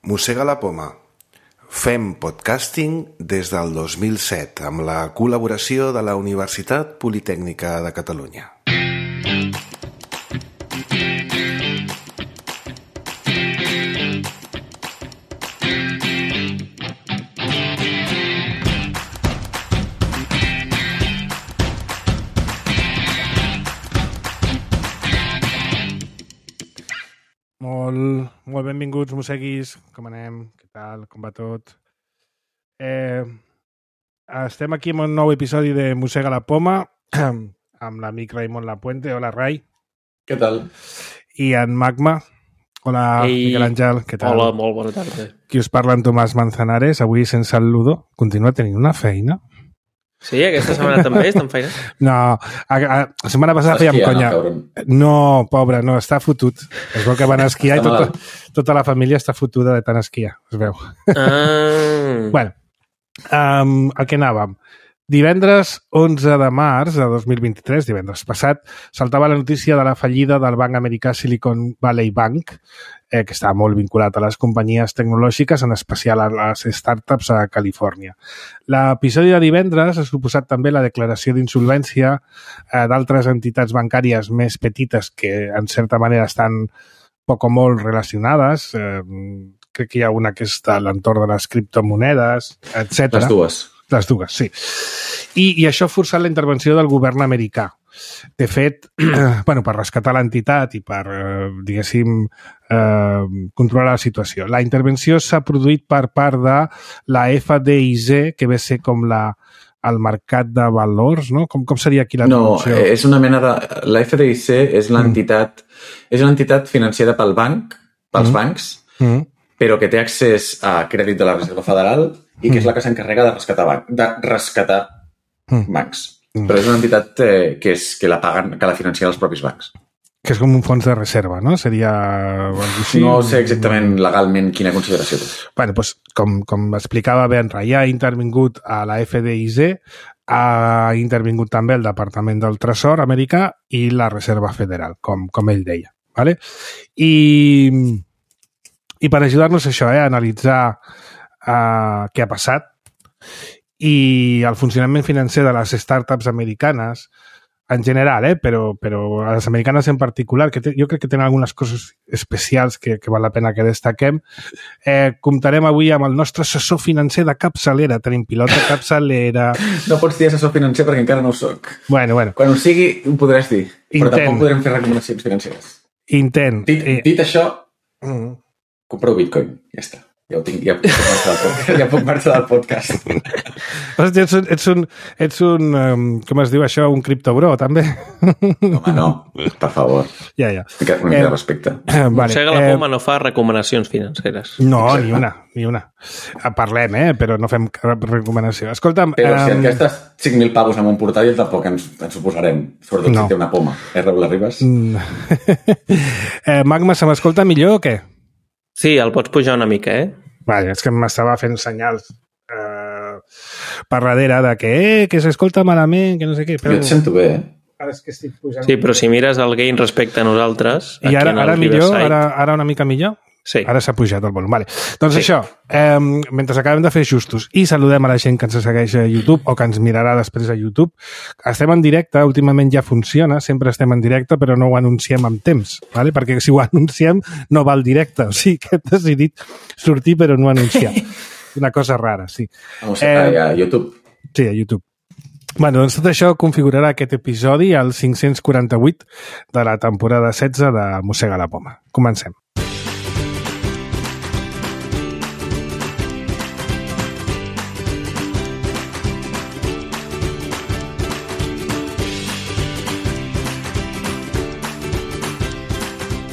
Mossega la poma. Fem podcasting des del 2007 amb la col·laboració de la Universitat Politècnica de Catalunya. Molt benvinguts, mosseguis. Com anem? Què tal? Com va tot? Estem aquí amb un nou episodi de Mossega la poma amb l'amic Raimon Lapuente. Hola, Rai. Què tal? I en Magma. Hola, Miquel Àngel. Què tal? Hola, molt bona tarda. Qui us parla, en Tomàs Manzanares, avui sense el Ludo. Continua tenint una feina. Sí, aquesta setmana també estan feina? No, la setmana passada fèiem conya. No, pobre, no, està fotut. Es veu que van esquiar i tota la família està fotuda de tant esquiar, es veu. Bueno, a què anàvem? Divendres 11 de març de 2023, divendres passat, saltava la notícia de la fallida del banc americà Silicon Valley Bank, que està molt vinculat a les companyies tecnològiques, en especial a les startups a Califòrnia. L'episodi de divendres ha suposat també la declaració d'insolvència d'altres entitats bancàries més petites que, en certa manera, estan poc o molt relacionades. Crec que hi ha una que està a l'entorn de les criptomonedes, etc. Les dues, sí. I això ha forçat la intervenció del govern americà. De fet, per rescatar l'entitat i per, diguéssim, controlar la situació. La intervenció s'ha produït per part de la FDIC, que ve a ser com el mercat de valors, no? Com seria aquí la traducció? No, és una mena de... La FDIC és l'entitat... És una entitat financera pel banc, pels bancs, però que té accés a crèdit de la Reserva Federal i que és la que s'encarrega de rescatar bancs. Però és una entitat que la paguen, que la financien els propis bancs. Que és com un fons de reserva, no? Seria... No sé exactament legalment quina consideració té. Bueno, doncs, com explicava bé en Rai, ha intervingut a la FDIC, ha intervingut també el Departament del Tresor americà i la Reserva Federal, com ell deia. ¿Vale? I per ajudar-nos a això, a analitzar què ha passat i el funcionament financer de les startups americanes en general, però les americanes en particular, que jo crec que tenen algunes coses especials que val la pena que destaquem. Comptarem avui amb el nostre assessor financer de capçalera. Tenim pilot de capçalera. No pots dir assessor financer perquè encara no ho soc. Bueno. Quan ho sigui, ho podràs dir. Però tampoc podrem fer recomanacions financeres. Intent. Dit això, compreu Bitcoin. Ja està. Ja puc marxar del podcast. Ets un com es diu això, un criptobro, també? Home, no, per favor. Ja. Una mica de respecte. Mossega la poma no fa recomanacions financeres. No, ni una. Parlem, però no fem cap recomanació. Escolta'm... Però si et gastes 5.000 pavos en un portàtil, tampoc ens ho posarem. Sobretot si té una poma. Raül Arribas? Magma, se m'escolta millor o què? Sí, el pots pujar una mica, Vale, és que m'estava fent senyals per darrere de que s'escolta malament, que no sé què. Però... Jo et sento bé, Ara és que estic pujant... Sí, però si mires el gain respecte a nosaltres... I ara millor? Ara una mica millor? Sí. Ara s'ha pujat el volum. Vale. Doncs això, mentre acabem de fer ajustos i saludem a la gent que ens segueix a YouTube o que ens mirarà després a YouTube, estem en directe, últimament ja funciona, sempre estem en directe, però no ho anunciem amb temps, ¿vale? Perquè si ho anunciem no va al directe, o sigui que hem decidit sortir però no anunciar. Una cosa rara, sí. A YouTube. Sí, a YouTube. Bueno, doncs tot això configurarà aquest episodi al 548 de la temporada 16 de Mossega la poma. Comencem.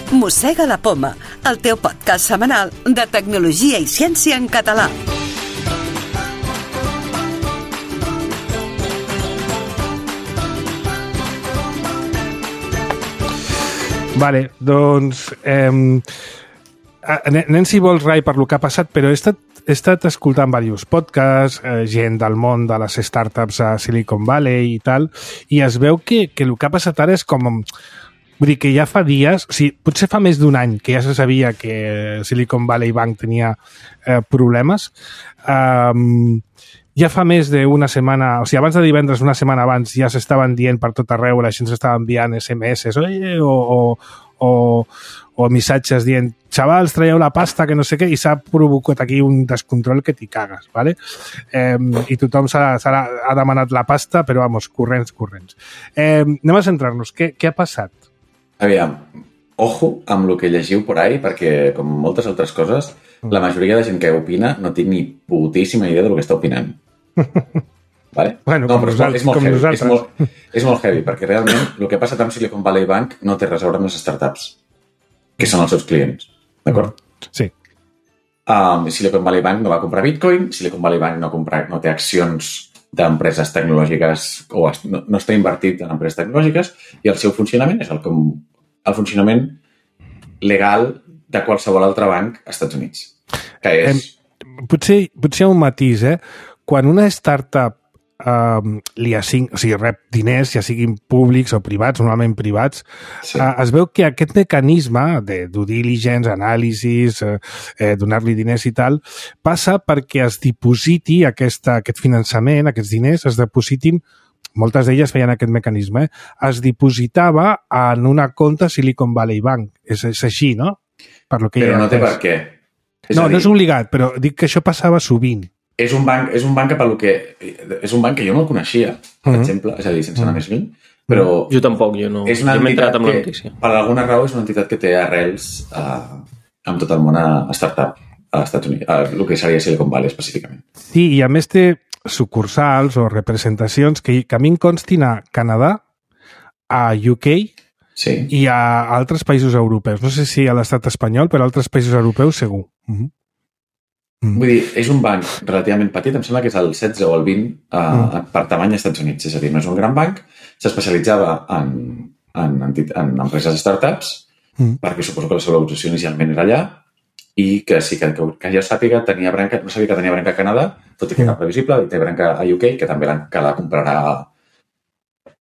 Mossega la poma, el teu podcast setmanal de tecnologia i ciència en català. Vale, doncs anem, si vols, Rai, per lo que ha passat, però he estat escoltant diversos podcasts, gent del món de les startups a Silicon Valley i tal, i es veu que el que ha passat ara és com Vull dir que ja fa dies, o sigui, potser fa més d'un any que ja se sabia que Silicon Valley Bank tenia problemes. Ja fa més d'una setmana, o sigui, abans de divendres, una setmana abans, ja s'estaven dient per tot arreu, la gent s'estava enviant SMS o missatges dient xavals, traieu la pasta, que no sé què, i s'ha provocat aquí un descontrol que t'hi cagues, ¿vale? I tothom ha demanat la pasta, però, vamos, corrents. Anem a centrar-nos. Què ha passat? Aviam, ojo amb el que llegiu por ahí, perquè, com moltes altres coses, la majoria de gent que opina no té ni putíssima idea del que està opinant. Vale? Bueno, no, però és molt heavy. És molt heavy, perquè realment el que ha passat amb Silicon Valley Bank no té res a veure amb les startups, que són els seus clients. D'acord? Sí. Silicon Valley Bank no va comprar Bitcoin, Silicon Valley Bank no té accions d'empreses tecnològiques o no està invertit en empreses tecnològiques i el seu funcionament és el funcionament legal de qualsevol altre banc als Estats Units. Que és... Potser hi ha un matís, Quan una startup rep diners, ja siguin públics o privats, normalment privats, sí. Es veu que aquest mecanisme de due diligence, anàlisis, donar-li diners i tal, passa perquè es dipositi aquest finançament, aquests diners, es depositin, moltes d'elles feien aquest mecanisme, es dipositava en una compte Silicon Valley Bank. És així, no? Però no té per què. No és obligat, però dic que això passava sovint. És un banc que jo no el coneixia, per exemple, és a dir, sense anar més lluny, però... Jo tampoc, jo no. És una entitat que, per alguna raó, és una entitat que té arrels amb tot el món a startup, als Estats Units, el que seria Silicon Valley específicament. Sí, i a més té sucursals o representacions que a mi em constin a Canadà, a UK i a altres països europeus. No sé si a l'estat espanyol, però a altres països europeus segur. Vull dir, és un banc relativament petit, em sembla que és el 16 o el 20 per tamany als Estats Units, és a dir, no és un gran banc, s'especialitzava en empreses startups, perquè suposo que la seva localització inicialment era allà, i que sí que jo sàpiga, no sabia que tenia branca a Canadà, tot i que era previsible, i té branca a UK, que també la comprarà...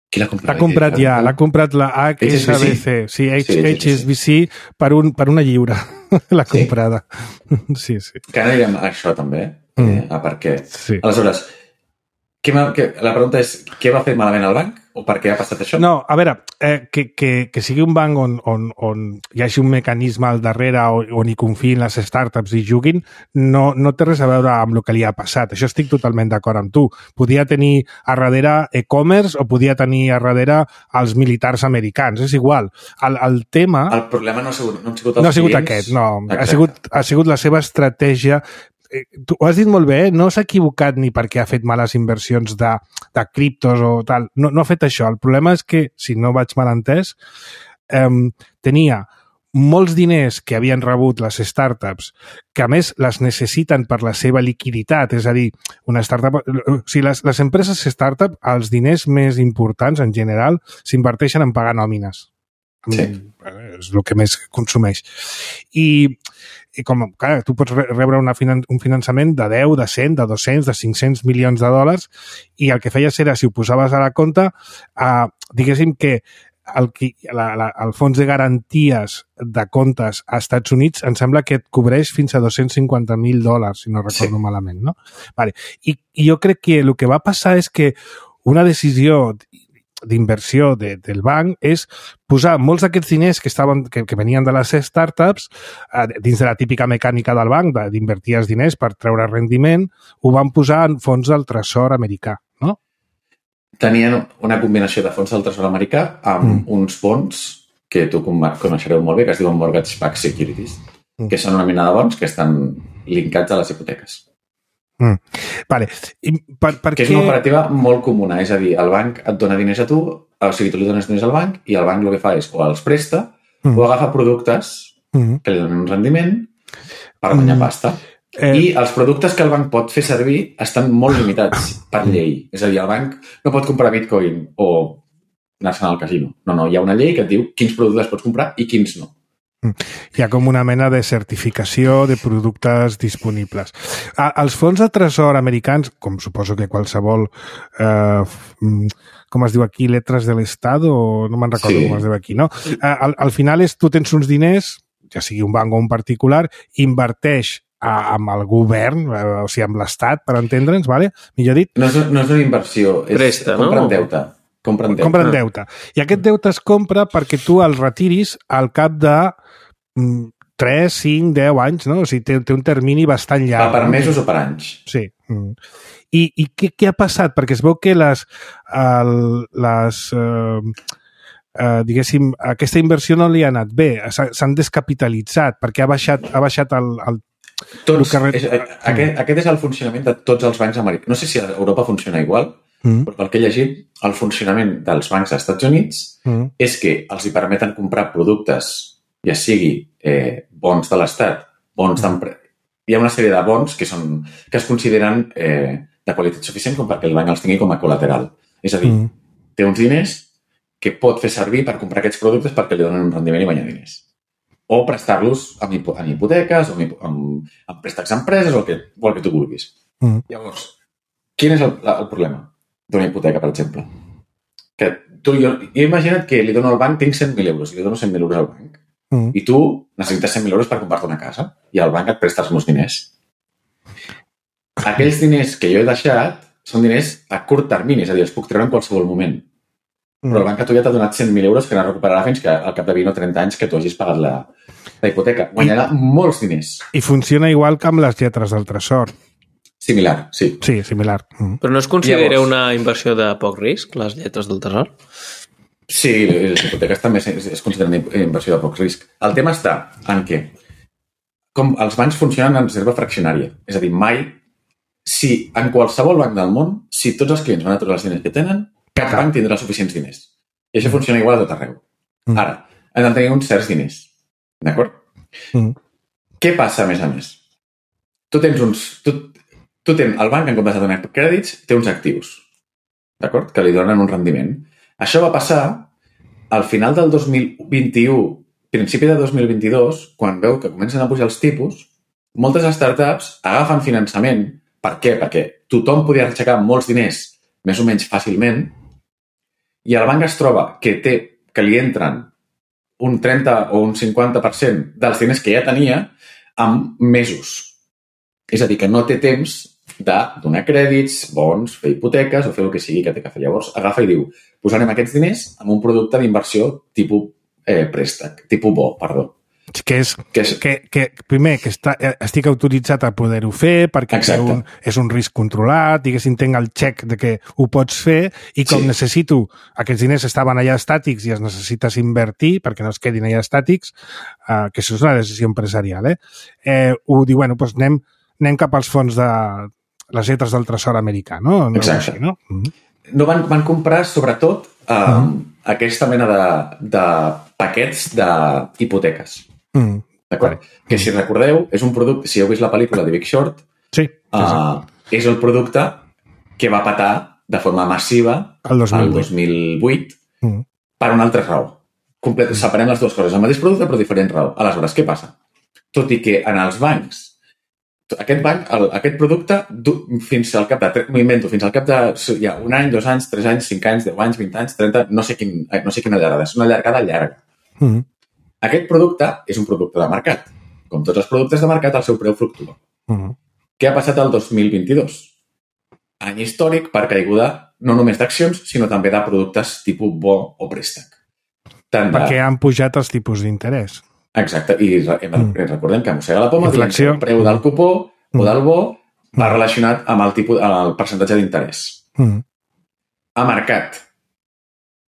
Qui l'ha comprat? L'ha comprat la HSBC. Sí, HSBC per una lliure. L'ha comprada. Sí. Que ara anirem a això també, a per què. Sí. Aleshores, la pregunta és, què va fer malament el banc? O per què ha passat això? No, a veure, que sigui un banc on hi hagi un mecanisme al darrere on hi confiïn les startups i juguin, no té res a veure amb el que li ha passat. Això estic totalment d'acord amb tu. Podia tenir a darrere e-commerce o podia tenir a darrere els militars americans. És igual. El tema... El problema no ha sigut els clients. No ha sigut aquest, no. Ha sigut la seva estratègia. Tu ho has dit molt bé, no s'ha equivocat ni perquè ha fet males inversions de criptos o tal, no ha fet això. El problema és que, si no vaig mal entès, tenia molts diners que havien rebut les startups, que a més les necessiten per la seva liquiditat, és a dir, una startup... O sigui, les empreses startup, els diners més importants, en general, s'inverteixen en pagar nòmines. Sí. És el que més consumeix. I com, clar, tu pots rebre un finançament de 10, de 100, de 200, de 500 milions de dòlars i el que feies era, si ho posaves a la compte, diguéssim que el fons de garanties de comptes als Estats Units em sembla que et cobreix fins a $250,000, si no recordo malament, no? Vale. I jo crec que el que va passar és que una decisió d'inversió del banc és posar molts d'aquests diners que venien de les startups dins de la típica mecànica del banc d'invertir els diners per treure rendiment, ho van posar en fons del tresor americà, no? Tenien una combinació de fons del tresor americà amb uns fons que tu coneixereu molt bé, que es diuen mortgage-backed securities, que són una mena de bons que estan linkats a les hipoteques. Vale. Que és una operativa molt comuna, és a dir, el banc et dona diners a tu, o sigui, tu li dones diners al banc i el banc el que fa és o els presta o agafa productes que li donen un rendiment per guanyar pasta. I els productes que el banc pot fer servir estan molt limitats per llei. És a dir, el banc no pot comprar Bitcoin o anar-se'n al casino. No, hi ha una llei que et diu quins productes pots comprar i quins no. Hi ha com una mena de certificació de productes disponibles. Els fons de tresor americans, com suposo que qualsevol, com es diu aquí, letres de l'Estat, o no me'n recordo com es diu aquí, no? Al final tu tens uns diners, ja sigui un banc o un particular, inverteix amb el govern, o sigui, amb l'Estat, per entendre'ns, ¿vale? Millor dit. No és una inversió, presta, no? Compren deute. I aquest deute es compra perquè tu el retiris al cap de 3, 5, 10 anys, no? O sigui, té un termini bastant llarg. Per mesos o per anys. Sí. I què ha passat? Perquè es veu que diguéssim, aquesta inversió no li ha anat bé. S'han descapitalitzat perquè ha baixat el aquest és el funcionament de tots els bancs americans. No sé si a Europa funciona igual, però pel que he llegit, el funcionament dels bancs als Estats Units és que els hi permeten comprar productes, ja sigui bons de l'Estat, bons d'empresa. Hi ha una sèrie de bons que es consideren de qualitat suficient com perquè el banc els tingui com a col·lateral. És a dir, té uns diners que pot fer servir per comprar aquests productes perquè li donen un rendiment i guanyar diners. O prestar-los en hipoteques, o en préstecs a empreses, o el que tu vulguis. Llavors, quin és el problema d'una hipoteca, per exemple? Que jo he imaginat que li dono al banc, tinc 100.000 euros, i li dono 100.000 euros al banc. I tu necessites 100.000 euros per comprar-te una casa i el banc et presta els meus diners. Aquells diners que jo he deixat són diners a curt termini, és a dir, els puc treure en qualsevol moment. Però el banc a tu ja t'ha donat 100.000 euros que no recuperarà fins que al cap de 20 o 30 anys que tu hagis pagat la hipoteca. Guanyarà molts diners. I funciona igual que amb les lletres del tresor. Similar, sí. Sí, similar. Però no es considera una inversió de poc risc, les lletres del tresor? Sí, les hipoteques també es consideren inversió de poc risc. El tema està en què com els bancs funcionen en reserva fraccionària. És a dir, mai, si en qualsevol banc del món, si tots els clients van a treure els diners que tenen, cap banc tindrà suficients diners. I això funciona igual a tot arreu. Ara, han de tenir uns certs diners. D'acord? Què passa, a més? El banc, en comptes de donar crèdits, té uns actius. D'acord? Que li donen un rendiment. Això va passar al final del 2021, principi de 2022, quan veu que comencen a pujar els tipus, moltes startups agafen finançament. Per què? Perquè tothom podia aixecar molts diners més o menys fàcilment i el banc es troba que li entren un 30 o un 50% dels diners que ja tenia en mesos. És a dir, que no té temps de donar crèdits, bons, fer hipoteques o fer el que sigui que té que fer. Llavors agafa i diu, posarem aquests diners en un producte d'inversió tipus préstec, tipus bo, perdó. Primer, que estic autoritzat a poder-ho fer perquè és un risc controlat, diguéssim, tinc el xec de que ho pots fer i com necessito, aquests diners estaven allà estàtics i els necessites invertir perquè no es quedin allà estàtics, que això és una decisió empresarial, ho diu, bueno, doncs anem cap als fons de les lletres del tresor americà, no? Exacte. No van comprar, sobretot, aquesta mena de paquets d'hipoteques. D'acord? Que, si recordeu, és un producte, si heu vist la pel·lícula de Big Short, és el producte que va patar de forma massiva el 2008 per una altra raó. Separem les dues coses. El mateix producte, però diferent raó. Aleshores, què passa? Tot i que en els bancs aquest producte fins al cap de un any, 2 anys, 3 anys, 5 anys, 10 anys, 20 anys, 30, no sé quina llargada, és una llargada llarga. Aquest producte és un producte de mercat. Com tots els productes de mercat, el seu preu fluctua. Què ha passat el 2022? Any històric per caiguda no només d'accions, sinó també de productes tipus bo o préstec. Perquè han pujat els tipus d'interès. Exacte, i recordem que mossega la poma, el preu del cupó o del bo va relacionat amb el percentatge d'interès. A mercat,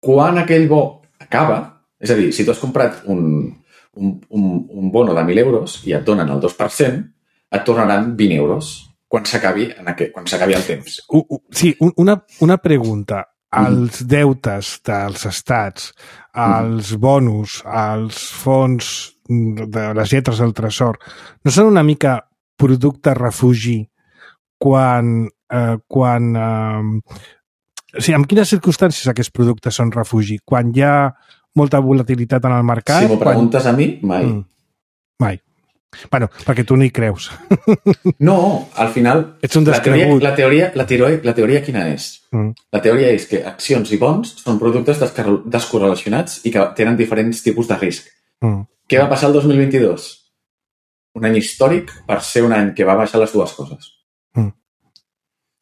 quan aquell bo acaba, és a dir, si tu has comprat un bono de 1.000 euros i et donen el 2%, et tornaran 20 euros quan s'acabi el temps. Sí, una pregunta. Els deutes dels estats, els bonus, els fons de les lletres del tresor, no són una mica producte refugi quan o sigui, en quines circumstàncies aquests productes són refugi? Quan hi ha molta volatilitat en el mercat. Si m'ho preguntes a mi, mai. Mai. Bueno, perquè tu no hi creus. No, al final... Ets un descregut. La teoria quina és? La teoria és que accions i bons són productes descorrelacionats i que tenen diferents tipus de risc. Què va passar el 2022? Un any històric per ser un any que va baixar les dues coses. O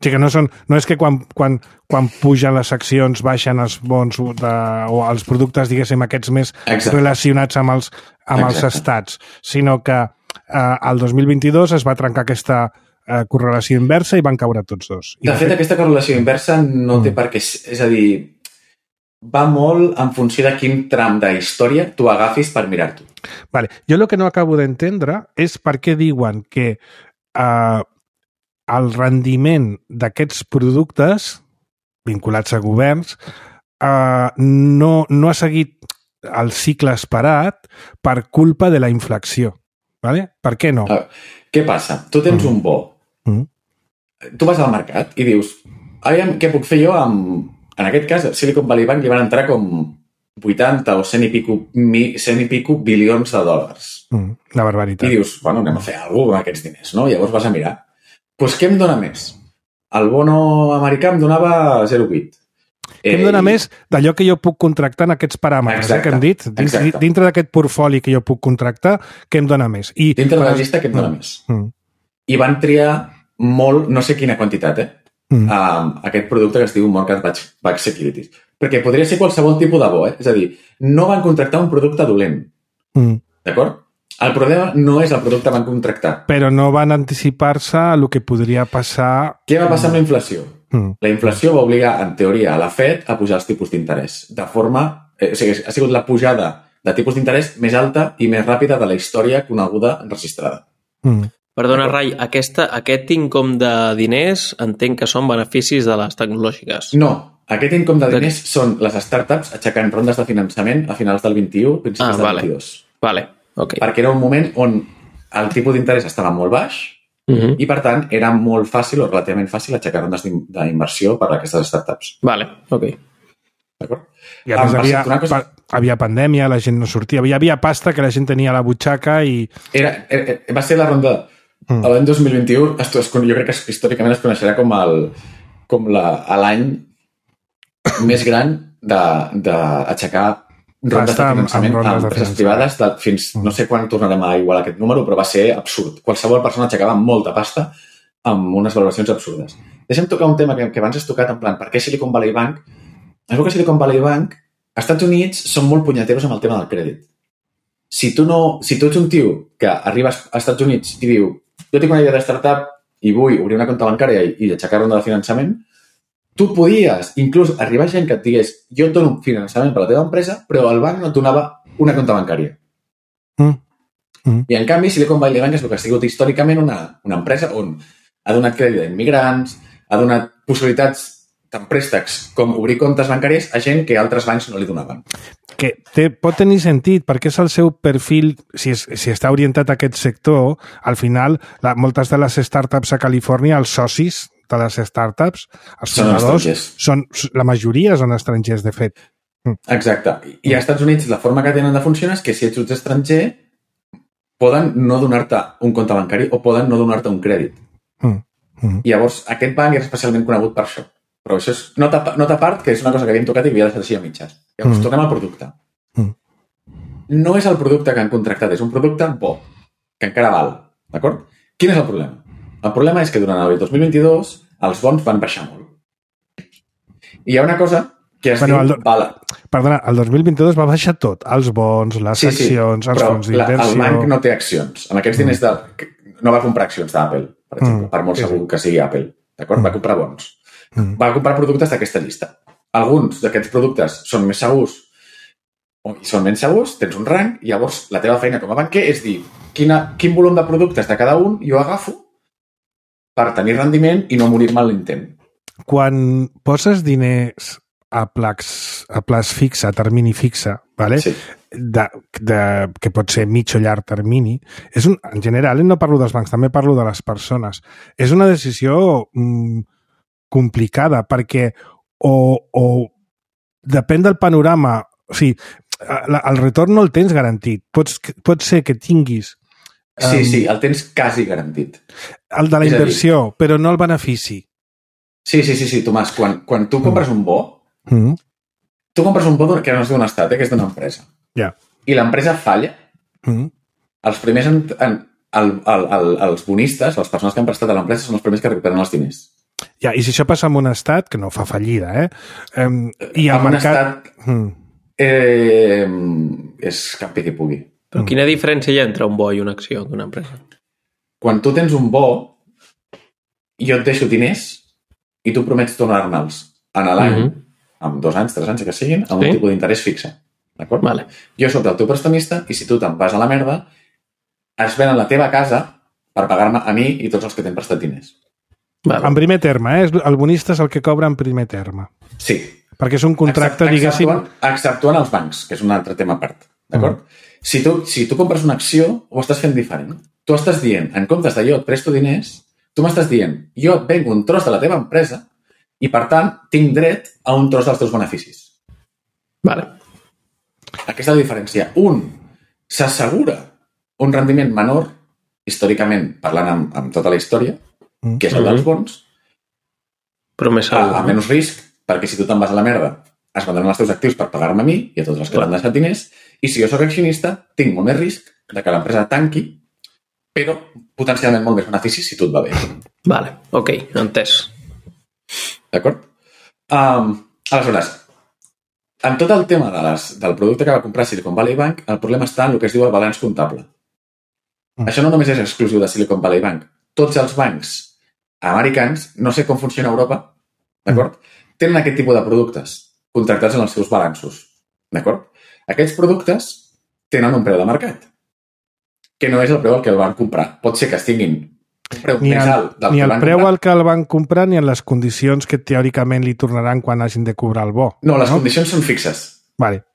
sigui que no és que quan pugen les accions baixen els bons o els productes, diguéssim, aquests més relacionats amb els estats, sinó que el 2022 es va trencar aquesta correlació inversa i van caure tots dos. De fet, aquesta correlació inversa no té per què... És a dir, va molt en funció de quin tram de història tu agafis per mirar-t'ho. Vale. Jo el que no acabo d'entendre és per què diuen que el rendiment d'aquests productes vinculats a governs no ha seguit el cicle esperat per culpa de la inflació. Vale? Per què no? Què passa? Tu tens un bo. Tu vas al mercat i dius què puc fer jo amb... En aquest cas, Silicon Valley Bank li van entrar com 80 o 100 i pico bilions de dòlars. La barbaritat. I dius, bueno, anem a fer alguna cosa amb aquests diners, no? Llavors vas a mirar. Doncs què em dona més? El bono americà em donava 0,8. Què em dona més d'allò que jo puc contractar en aquests paràmetres que hem dit? Dintre d'aquest portfoli que jo puc contractar, què em dona més? Dintre de la llista, què em dona més? I van triar molt, no sé quina quantitat, aquest producte que es diu Mortgage-Backed Securities. Perquè podria ser qualsevol tipus de bo, És a dir, no van contractar un producte dolent. D'acord? El problema no és el producte que van contractar. Però no van anticipar-se a el que podria passar... Què va passar amb la inflació? La inflació va obligar, en teoria, a la Fed a pujar els tipus d'interès. De forma... O sigui, ha sigut la pujada de tipus d'interès més alta i més ràpida de la història coneguda registrada. Perdona, Rai, aquest income de diners entenc que són beneficis de les tecnològiques. No, aquest income de diners són les startups aixecant rondes de finançament a finals del 21, principis del 22. Vale. Okay. Perquè era un moment on el tipus d'interès estava molt baix i, per tant, era molt fàcil o relativament fàcil aixecar rondes d'inversió per a aquestes startups. Vale, ok. D'acord? I a més havia pandèmia, la gent no sortia, hi havia pasta que la gent tenia a la butxaca i... Va ser la ronda... L'any 2021, jo crec que històricament es coneixerà com l'any més gran d'aixecar rondes de finançament a empreses privades fins no sé quan tornarem a igualar aquest número, però va ser absurd. Qualsevol persona aixecava molta pasta amb unes valoracions absurdes. Deixa'm tocar un tema que abans has tocat, en plan, per què Silicon Valley Bank? Es veu que Silicon Valley Bank, als Estats Units, són molt punyeteros amb el tema del crèdit. Si tu ets un tio que arribes als Estats Units i diu jo tinc una idea de startup i vull obrir una compte bancària i aixecar ronda de finançament, tu podies inclús arribar gent que et digués jo et dono finançament per la teva empresa, però el banc no et donava una compte bancària. I en canvi, Silicon Valley Bank és el que ha sigut històricament una empresa on ha donat crèdit a immigrants, ha donat possibilitats tant préstecs com obrir comptes bancaris a gent que altres bancs no li donaven. Que pot tenir sentit, perquè és el seu perfil, si està orientat a aquest sector, al final, moltes de les startups a Califòrnia, els socis de les startups, els fundadors, la majoria són estrangers, de fet. Exacte. I als Estats Units la forma que tenen de funcionar és que si ets estranger poden no donar-te un compte bancari o poden no donar-te un crèdit. I llavors aquest banc és especialment conegut per això. Però això és nota a part, que és una cosa que havíem tocat i havia deixat així a mitges. Llavors, tornem al producte. No és el producte que han contractat, és un producte bo, que encara val. D'acord? Quin és el problema? El problema és que durant el 2022 els bons van baixar molt. I hi ha una cosa que es diu... Perdona, el 2022 va baixar tot. Els bons, les accions, els fons d'inversió... El banc no té accions. Amb aquests diners no va comprar accions d'Apple, per exemple, per molt segur que sigui Apple. D'acord? Va comprar bons. Va comprar productes d'aquesta llista. Alguns d'aquests productes són més segurs i són menys segurs, tens un rang, i llavors la teva feina com a banquer és dir quin volum de productes de cada un jo agafo per tenir rendiment i no morir-me en l'intent. Quan poses diners a plaç fixe, a termini fixe, vale? Sí. Que pot ser mig o llarg termini, en general, no parlo dels bancs, també parlo de les persones. És una decisió complicada, perquè o depèn del panorama, o sigui, el retorn no el tens garantit. Pot ser que tinguis... Sí, el tens quasi garantit. El de la inversió, però no el benefici. Sí, Tomàs, quan tu compres un bo, tu compres un bo que no és d'un estat, que és d'una empresa. I l'empresa falla, els primers... Els bonistes, les persones que han prestat a l'empresa, són els primers que recuperen els diners. I si això passa en un estat, que no fa fallida, i el mercat... és cap qui pugui. Però quina diferència hi ha entre un bo i una acció d'una empresa? Quan tu tens un bo, jo et deixo diners i tu promets tornar-me'ls en l'any, amb 2 anys, 3 anys, que siguin, amb un tipus d'interès fixe. D'acord? Vale. Jo soc el teu prestamista i si tu te'n vas a la merda, es venen la teva casa per pagar-me a mi i tots els que t'hem prestat diners. Vale. En primer terme, el bonista és el que cobra en primer terme. Sí. Perquè és un contracte, diguéssim... Exceptuant els bancs, que és un altre tema a part. D'acord? Si tu compres una acció, ho estàs fent diferent. Tu estàs dient, en comptes de jo et presto diners, tu m'estàs dient, jo et vengo un tros de la teva empresa i, per tant, tinc dret a un tros dels teus beneficis. Vale. Aquesta és la diferència. Un s'assegura un rendiment menor, històricament, parlant amb tota la història, que és el dels bons, però més segur. A menys risc, perquè si tu te'n vas a la merda, es vendran els teus actius per pagar-me a mi i a tots els que l'han deixat diners, i si jo soc accionista, tinc molt més risc de que l'empresa tanqui, però potencialment molt més benefici si tot va bé. Vale, ok, entès. D'acord? Aleshores, en tot el tema del producte que va comprar Silicon Valley Bank, el problema està en el que es diu el balanç comptable. Això no només és exclusiu de Silicon Valley Bank. Tots els bancs americans, no sé com funciona a Europa, d'acord? Tenen aquest tipus de productes contractats en els seus balanços, d'acord? Aquests productes tenen un preu de mercat, que no és el preu al que el van comprar. Pot ser que tinguin un preu més alt del que el van comprar. Ni el preu al que el van comprar ni en les condicions que teòricament li tornaran quan hagin de cobrar el bo. No, les condicions són fixes. Vale.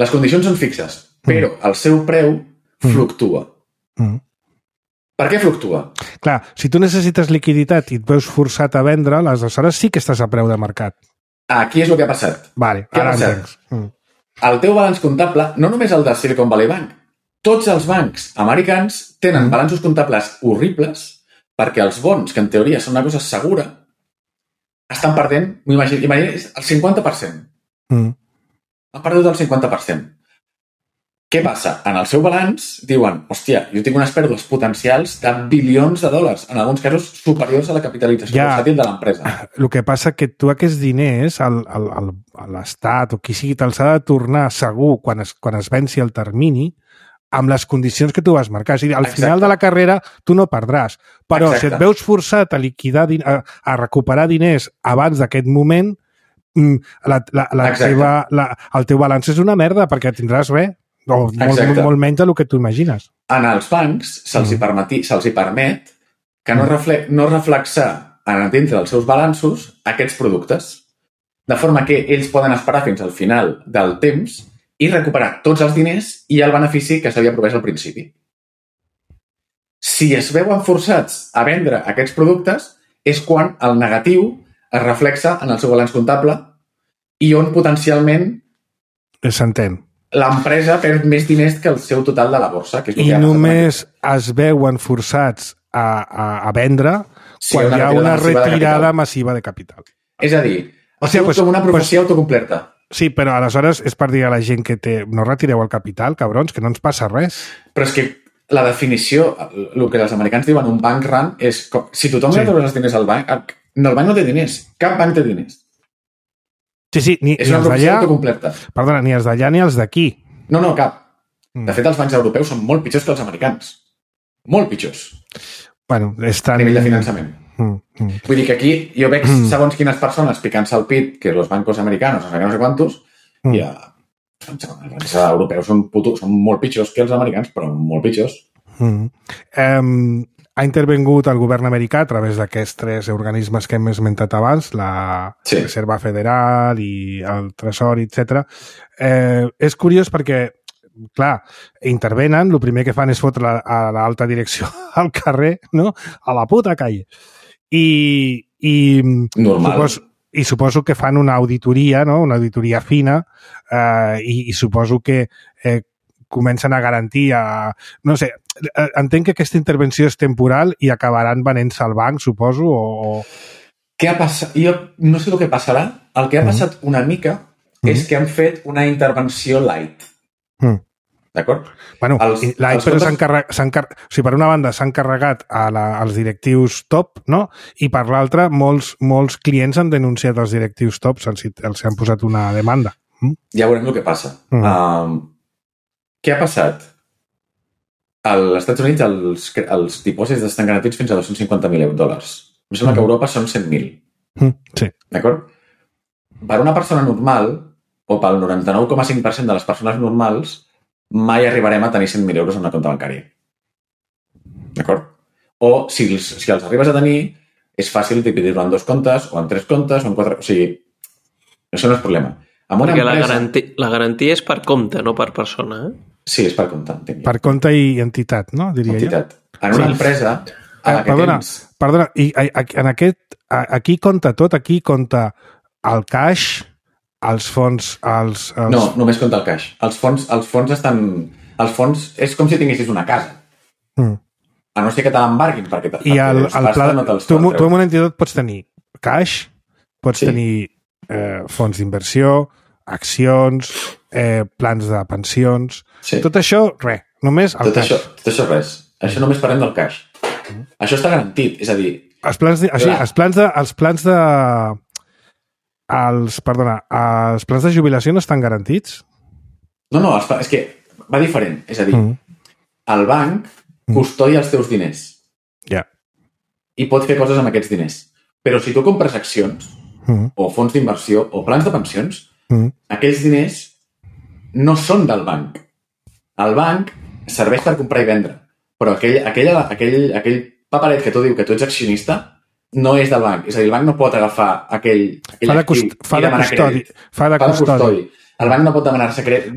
Les condicions són fixes, però el seu preu fluctua. Per què fluctua? Clar, si tu necessites liquiditat i et veus forçat a vendre, aleshores sí que estàs a preu de mercat. Aquí és el que ha passat. Vale, què ha passat? El teu balanç comptable, no només el de Silicon Valley Bank, tots els bancs americans tenen balanços comptables horribles perquè els bons, que en teoria són una cosa segura, estan perdent, m'imagino, el 50%. Han perdut el 50%. Què passa? En el seu balanç diuen, hòstia, jo tinc unes pèrdues potencials de bilions de dòlars, en alguns casos superiors a la capitalització bursàtil de l'empresa. El que passa que tu aquests diners, l'Estat o qui sigui, te'ls ha de tornar segur quan es venci el termini amb les condicions que tu vas marcar. És a dir, al final de la carrera tu no perdràs, però si et veus forçat a liquidar, a recuperar diners abans d'aquest moment, el teu balanç és una merda perquè tindràs res. Molt menys del que tu imagines. En els bancs se'ls permet que no reflexar dintre dels seus balanços aquests productes, de forma que ells poden esperar fins al final del temps i recuperar tots els diners i el benefici que s'havia promès al principi. Si es veuen forçats a vendre aquests productes és quan el negatiu es reflexa en el seu balanç comptable i on potencialment s'entén. L'empresa perd més diners que el seu total de la borsa. Que és I només es veuen forçats a vendre quan hi ha una retirada massiva de capital. És a dir, com una profecia autocomplerta. Sí, però aleshores és per dir a la gent que no retireu el capital, cabrons, que no ens passa res. Però és que la definició, el que els americans diuen un bank run, és si tothom li treus els diners al banc, el banc no té diners, cap banc té diners. Sí, és una professió autocompleta. Perdona, ni els d'allà ni els d'aquí. No, cap. De fet, els bancs europeus són molt pitjors que els americans. Molt pitjors. Bueno, a nivell de finançament. Vull dir que aquí jo veig segons quines persones picant-se al pit que els bancos americanos, no sé quantos, i els bancs europeus són molt pitjors que els americans, però molt pitjors. Ha intervingut el govern americà a través d'aquests 3 organismes que hem esmentat abans, la Reserva Federal i el Tresor, etc. És curiós perquè, clar, intervenen, el primer que fan és fotre a l'alta direcció al carrer, no? A la puta calle. I normal. I suposo que fan una auditoria, no? Una auditoria fina, i suposo que comencen a garantir no sé, entenc que aquesta intervenció és temporal i acabaran venent-se al banc, suposo, o... Què ha passat? Jo no sé el que passarà. El que ha passat una mica és que han fet una intervenció light. D'acord? Bueno, light, però o sigui, per una banda s'han carregat als directius top, no? I per l'altra, molts clients han denunciat els directius top, els han posat una demanda. Ja veurem el que passa. Què ha passat? Als Estats Units els dipòsits estan garantits fins a $250,000. Em sembla que a Europa són 100.000. Sí. D'acord? Per una persona normal, o pel 99,5% de les persones normals, mai arribarem a tenir 100.000 euros en una compte bancària. D'acord? O si els arribes a tenir, és fàcil dividir-lo en 2 comptes, o en 3 comptes, o en 4... O sigui, això no és problema. Perquè la garantia és per compte, no per persona, eh? Sí, és per compte. Per compte i entitat, no? Diria entitat. En una empresa... Perdona, i aquí compta tot, aquí compta el cash, els fons... No, només compta el cash. Els fons estan... Els fons és com si tinguessis una casa. A no ser que te l'embarguin, perquè I el pla... Tu en una entitat pots tenir cash, pots tenir fons d'inversió, accions, plans de pensions... Sí. Tot això, res. Només el cash. Tot això res. Això només parlem del cash. Això està garantit, és a dir... Els plans de jubilació no estan garantits? No, és que va diferent. És a dir, el banc custodia els teus diners. Ja. I pot fer coses amb aquests diners. Però si tu compres accions, o fons d'inversió, o plans de pensions, aquells diners no són del banc. El banc serveix per comprar i vendre. Però aquell paperet que tu diu que tu ets accionista no és del banc. És a dir, el banc no pot agafar aquell actiu i demanar crèdit. Fa de custodi. El banc no pot demanar-se crèdit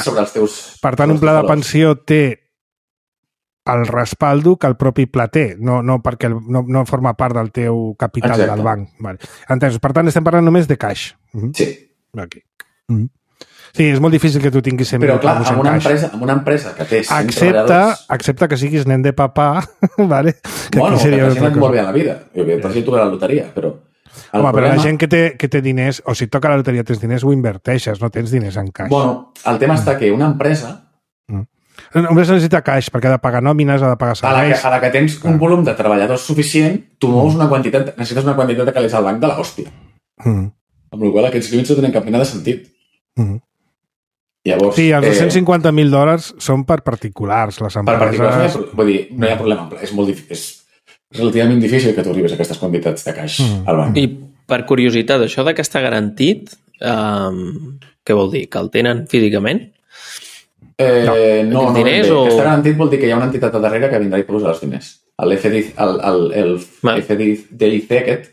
sobre els teus... Per tant, un pla de pensió té el respaldo que el propi pla té, no perquè no forma part del teu capital del banc. Vale. Entès. Per tant, estem parlant només de cash. Sí. Aquí. Sí, és molt difícil que tu tinguis 100.000 euros en cash. Però clar, amb una empresa que té 100 treballadors... Excepte que siguis nen de papà, vale? Bueno, que t'has anat molt bé a la vida. Per si toca la loteria, però... Home, però la gent que té diners, o si toca la loteria tens diners, ho inverteixes, no tens diners en cash. Bueno, el tema està que una empresa... Només necessita cash, perquè ha de pagar nòmines, ha de pagar serveis... A la que tens un volum de treballadors suficient, tu mous una quantitat... Necessites una quantitat de calés al banc de l'hòstia. Amb la qual aquests límits no tenen cap mena de sentit. Llavors, sí, els $250,000 són per particulars, les empreses... Per particulars, vull dir, no hi ha problema. És relativament difícil que tu arribis a aquestes quantitats de caix al banc. I per curiositat, això de que està garantit, què vol dir? Que el tenen físicament? No. Està garantit vol dir que hi ha una entitat a darrere que vindrà i posarà els diners. El FDIC aquest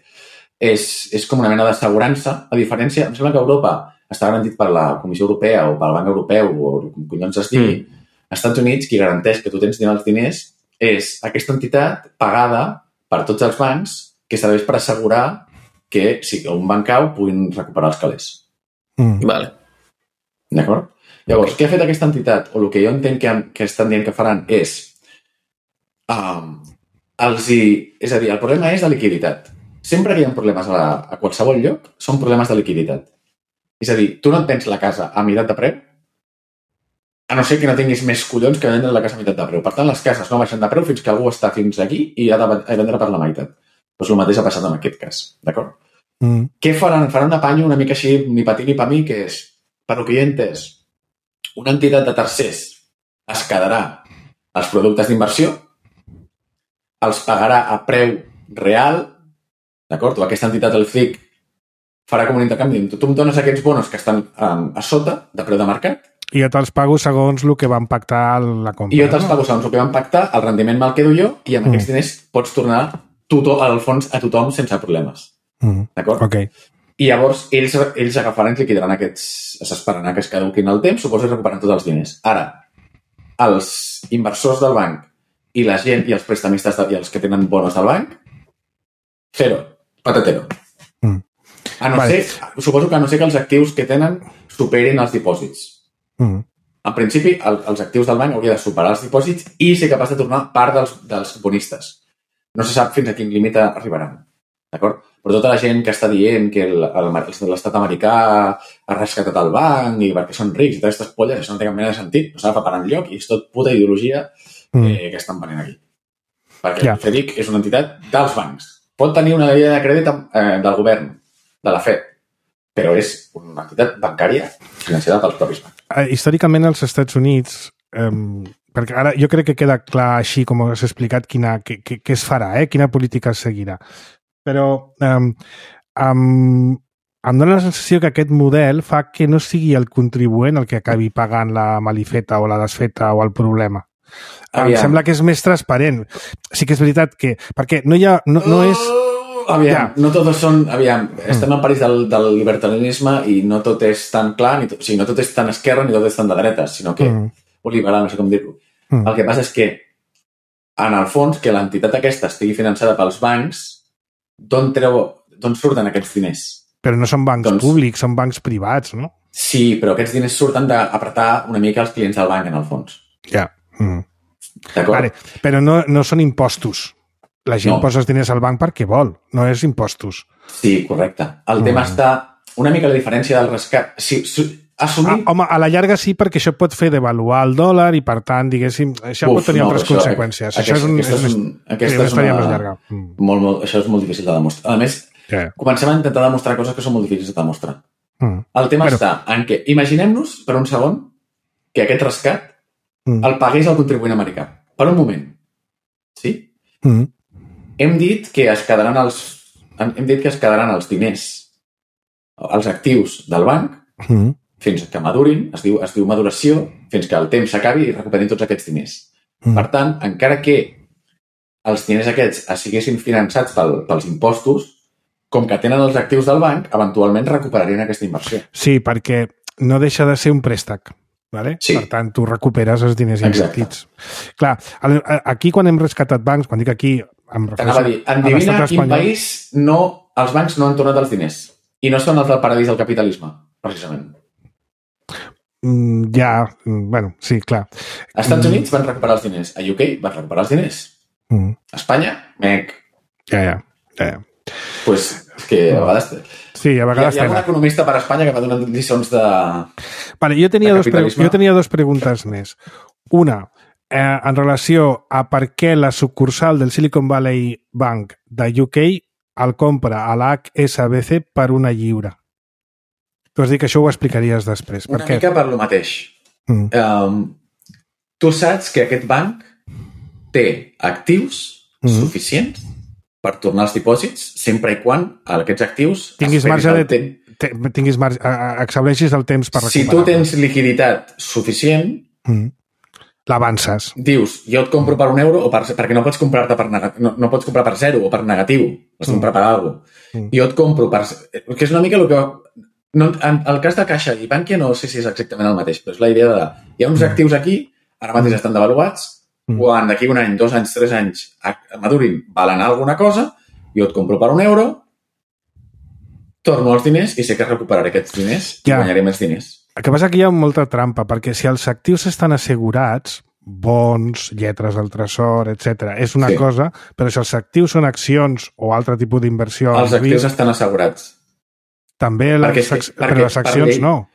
és com una mena d'assegurança, a diferència, em sembla que a Europa està garantit per la Comissió Europea o pel Banc Europeu o com collons es digui. Als Estats Units, qui garanteix que tu tens els diners és aquesta entitat pagada per tots els bancs que serveix per assegurar que si un banc cau puguin recuperar els calés. Vale. D'acord? Llavors, què ha fet aquesta entitat? O el que jo entenc que estan dient que faran és... És a dir, el problema és de liquiditat. Sempre que hi ha problemes a qualsevol lloc, són problemes de liquiditat. És a dir, tu no et tens la casa a meitat de preu, a no ser que no tinguis més collons que vendre la casa a meitat de preu. Per tant, les cases no baixen de preu fins que algú està fins aquí i ha de vendre per la meitat. Doncs el mateix ha passat en aquest cas, d'acord? Què faran? Faran un apanyo una mica així, ni pa ti ni pa mi, que és, per lo que jo he entès, una entitat de tercers es quedarà els productes d'inversió, els pagarà a preu real, d'acord? O aquesta entitat, el FIC, farà com un intercanvi. Tu em dones aquests bonos que estan a sota de preu de mercat. I jo te'ls pago segons el que van pactar la compra. I jo te'ls pago segons el que van pactar, el rendiment me'l quedo jo i amb aquests diners pots tornar al fons a tothom sense problemes. D'acord? Ok. I llavors ells agafaran i liquidaran aquests... S'esperaran que es caduquin el temps, suposo que recuperen tots els diners. Ara, els inversors del banc i la gent i els prestamistes i els que tenen bonos del banc, zero, patatero. Suposo que a no ser que els actius que tenen superin els dipòsits. En principi, els actius del banc haurien de superar els dipòsits i ser capaç de tornar part dels bonistes. No se sap fins a quin límit arribaran. D'acord? Però tota la gent que està dient que l'estat americà ha rescatat el banc i perquè són rics i totes aquestes polles, això no té cap mena de sentit, no s'ha per enlloc i és tot puta ideologia que estan venent aquí. Perquè el FEDIC és una entitat dels bancs. Pot tenir una línia de crèdit del govern, de la FED, però és una entitat bancària financiada pels propis bancs. Històricament als Estats Units, perquè ara jo crec que queda clar així com has explicat què es farà, quina política es seguirà. Però em dóna la sensació que aquest model fa que no sigui el contribuent el que acabi pagant la malifeta o la desfeta o el problema. Em sembla que és més transparent. Sí que és veritat que... Perquè no hi ha... No és... no tots són... estem en París del libertarianisme i no tot és tan clar, o sigui, no tot és tan esquerra ni tot és tan de dretes, sinó que... o liberal, no sé com dir-ho. El que passa és que, en el fons, que l'entitat aquesta estigui finançada pels bancs, d'on surten aquests diners? Però no són bancs públics, són bancs privats, no? Sí, però aquests diners surten d'apretar una mica els clients del banc, en el fons. Ja. D'acord? Vale. Però no són impostos. La gent posa els diners al banc perquè vol, no és impostos. Sí, correcte. El tema està una mica la diferència del rescat. Home, a la llarga sí, perquè això pot fer devaluar el dòlar i, per tant, diguéssim, això pot tenir altres conseqüències. Això és una història més llarga. Això és molt difícil de demostrar. A més, comencem a intentar demostrar coses que són molt difícils de demostrar. El tema està en què, imaginem-nos per un segon que aquest rescat el pagués el contribuent americà. Per un moment. Sí? Hem dit que es quedaran els diners, els actius del banc, fins que madurin, es diu maduració, fins que el temps s'acabi i recuperin tots aquests diners. Per tant, encara que els diners aquests siguessin finançats pels impostos, com que tenen els actius del banc, eventualment recuperarien aquesta inversió. Sí, perquè no deixa de ser un préstec. Vale? Sí. Per tant, tu recuperes els diners invertits. Clar, aquí quan hem rescatat bancs, quan dic aquí... T'anava a dir, endevina quin país els bancs no han tornat els diners i no són els del paradís del capitalisme, precisament. Bueno, sí, clar. Als Estats Units van recuperar els diners, a UK van recuperar els diners. A Espanya, mec. Ja. Pues és que a vegades... Sí, a vegades... Hi ha un economista per a Espanya que va donant lliçons de... Vale, jo tenia dos preguntes més. Una, en relació a per què la sucursal del Silicon Valley Bank de UK el compra a la HSBC per una lliura. Tu has dit que això ho explicaries després. Una mica per lo mateix. Tu saps que aquest banc té actius suficients per tornar els dipòsits sempre i quan aquests actius tinguis marge exhaureixis el temps per recuperar. Si tu tens liquiditat suficient, l'avances. Dius, jo et compro per €1 perquè no pots comprar-te no pots comprar per 0 o per negatiu, has de comprar per alguna cosa. Jo et compro per... Que és una mica el que... En el cas de Caixa i Bankia no sé si és exactament el mateix, però és la idea de... Hi ha uns actius aquí, ara mateix estan devaluats, quan d'aquí un any, 2 anys, 3 anys madurin, valen alguna cosa, jo et compro per €1, torno els diners i sé que recuperaré aquests diners i guanyaré més diners. El que passa que hi ha molta trampa, perquè si els actius estan assegurats, bons, lletres del tresor, etc., és una cosa, però si els actius són accions o altre tipus d'inversió... Els actius estan assegurats. També però les accions no.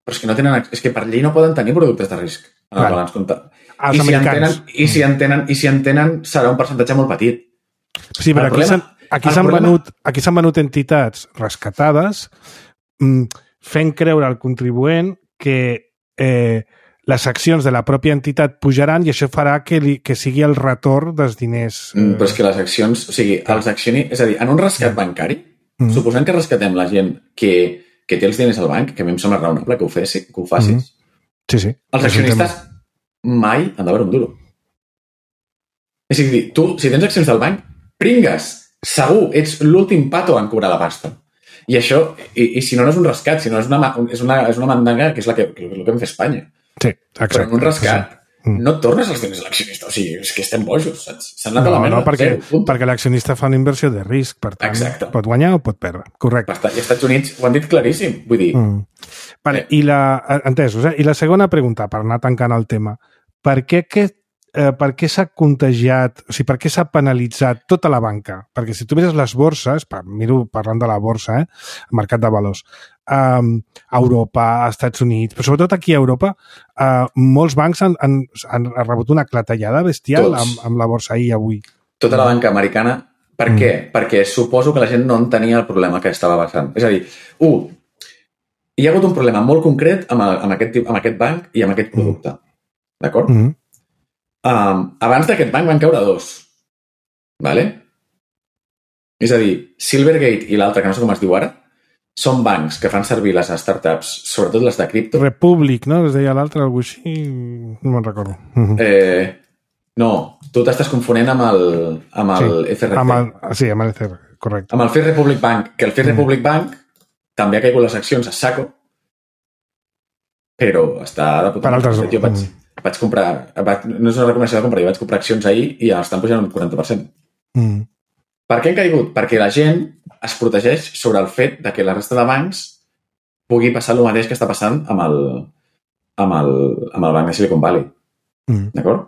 Però és que no tenen... És que per llei no poden tenir productes de risc en el balanç comptable. Els americans. I si en tenen serà un percentatge molt petit. Sí, però aquí s'han venut entitats rescatades fent creure al contribuent que les accions de la pròpia entitat pujaran i això farà que sigui el retorn dels diners. Però és que les accions... O sigui, els accionistes... És a dir, en un rescat bancari, suposant que rescatem la gent que té els diners al banc, que a mi em sembla raonable que ho facis. Sí. Els accionistes mai han de veure un duro. És a dir, tu, si tens accions del banc, pringues, segur, ets l'últim pato en cobrar la pasta. I això, i si no és un rescat, si no és una mandanga que és el que hem fet a Espanya. Sí, exacte. Però en un rescat, no tornes els diners a l'accionista. O sigui, és que estem bojos, saps? S'han anat a la merda. No, perquè l'accionista fa una inversió de risc, per tant, pot guanyar o pot perdre. Correcte. I als Estats Units ho han dit claríssim, vull dir... Vale, entesos, I la segona pregunta, per anar tancant el tema, per què s'ha contagiat, o sigui, per què s'ha penalitzat tota la banca? Perquè si tu mires les borses, miro parlant de la borsa, el mercat de valors, a Europa, als Estats Units, però sobretot aquí a Europa, molts bancs han rebut una clatellada bestial amb la borsa ahir i avui. Tota la banca americana. Per què? Perquè suposo que la gent no entenia el problema que estava passant. És a dir, hi ha hagut un problema molt concret amb aquest banc i amb aquest producte. D'acord? Abans d'aquest banc van caure dos. Vale? És a dir, Silvergate i l'altre, que no sé com es diu ara, són bancs que fan servir les startups, sobretot les de cripto. Republic, no? Es deia l'altre, algú així... No me'n recordo. No, tu t'estàs confonent amb el FRC. Sí, amb el FRC, correcte. Amb el First Republic Bank, que el First Republic Bank també ha caigut les accions a saco, però està de puta. Per altres... Jo vaig comprar, no és una recomanació de compra, jo vaig comprar accions ahir i estan pujant un 40%. Per què han caigut? Perquè la gent es protegeix sobre el fet de que la resta de bancs pugui passar el mateix que està passant amb el banc de Silicon Valley. D'acord?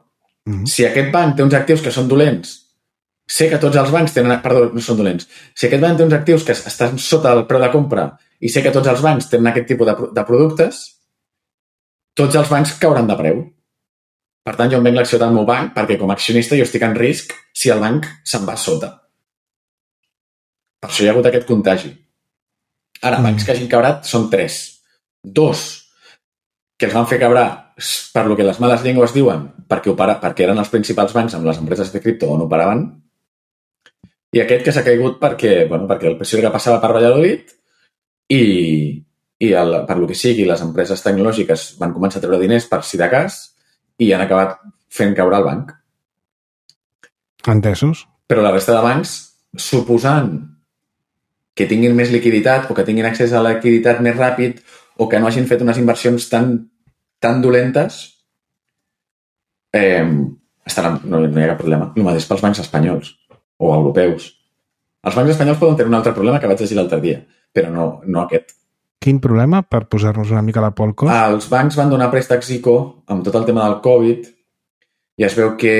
Si aquest banc té uns actius que són dolents, sé que tots els bancs tenen... Perdó, no són dolents. Si aquest banc té uns actius que estan sota el preu de compra i sé que tots els bancs tenen aquest tipus de productes, tots els bancs cauran de preu. Per tant, jo em venc l'acció del meu banc perquè com a accionista jo estic en risc si el banc se'n va sota. Per això hi ha hagut aquest contagi. Ara, bancs que hagin cabrat són 3. 2, que els van fer cabrar per lo que les males llengües diuen perquè eren els principals bancs amb les empreses de cripto on operaven, i aquest que s'ha caigut perquè el PSOE passava per Valladolid i per lo que sigui les empreses tecnològiques van començar a treure diners per si de cas i han acabat fent caure el banc. Entesos. Però la resta de bancs, suposant que tinguin més liquiditat o que tinguin accés a la liquiditat més ràpid o que no hagin fet unes inversions tan dolentes, no hi ha cap problema. El mateix pels bancs espanyols o europeus. Els bancs espanyols poden tenir un altre problema que vaig llegir l'altre dia, però no aquest. Quin problema, per posar-nos una mica la por al cos? Els bancs van donar préstecs ICO amb tot el tema del Covid i es veu que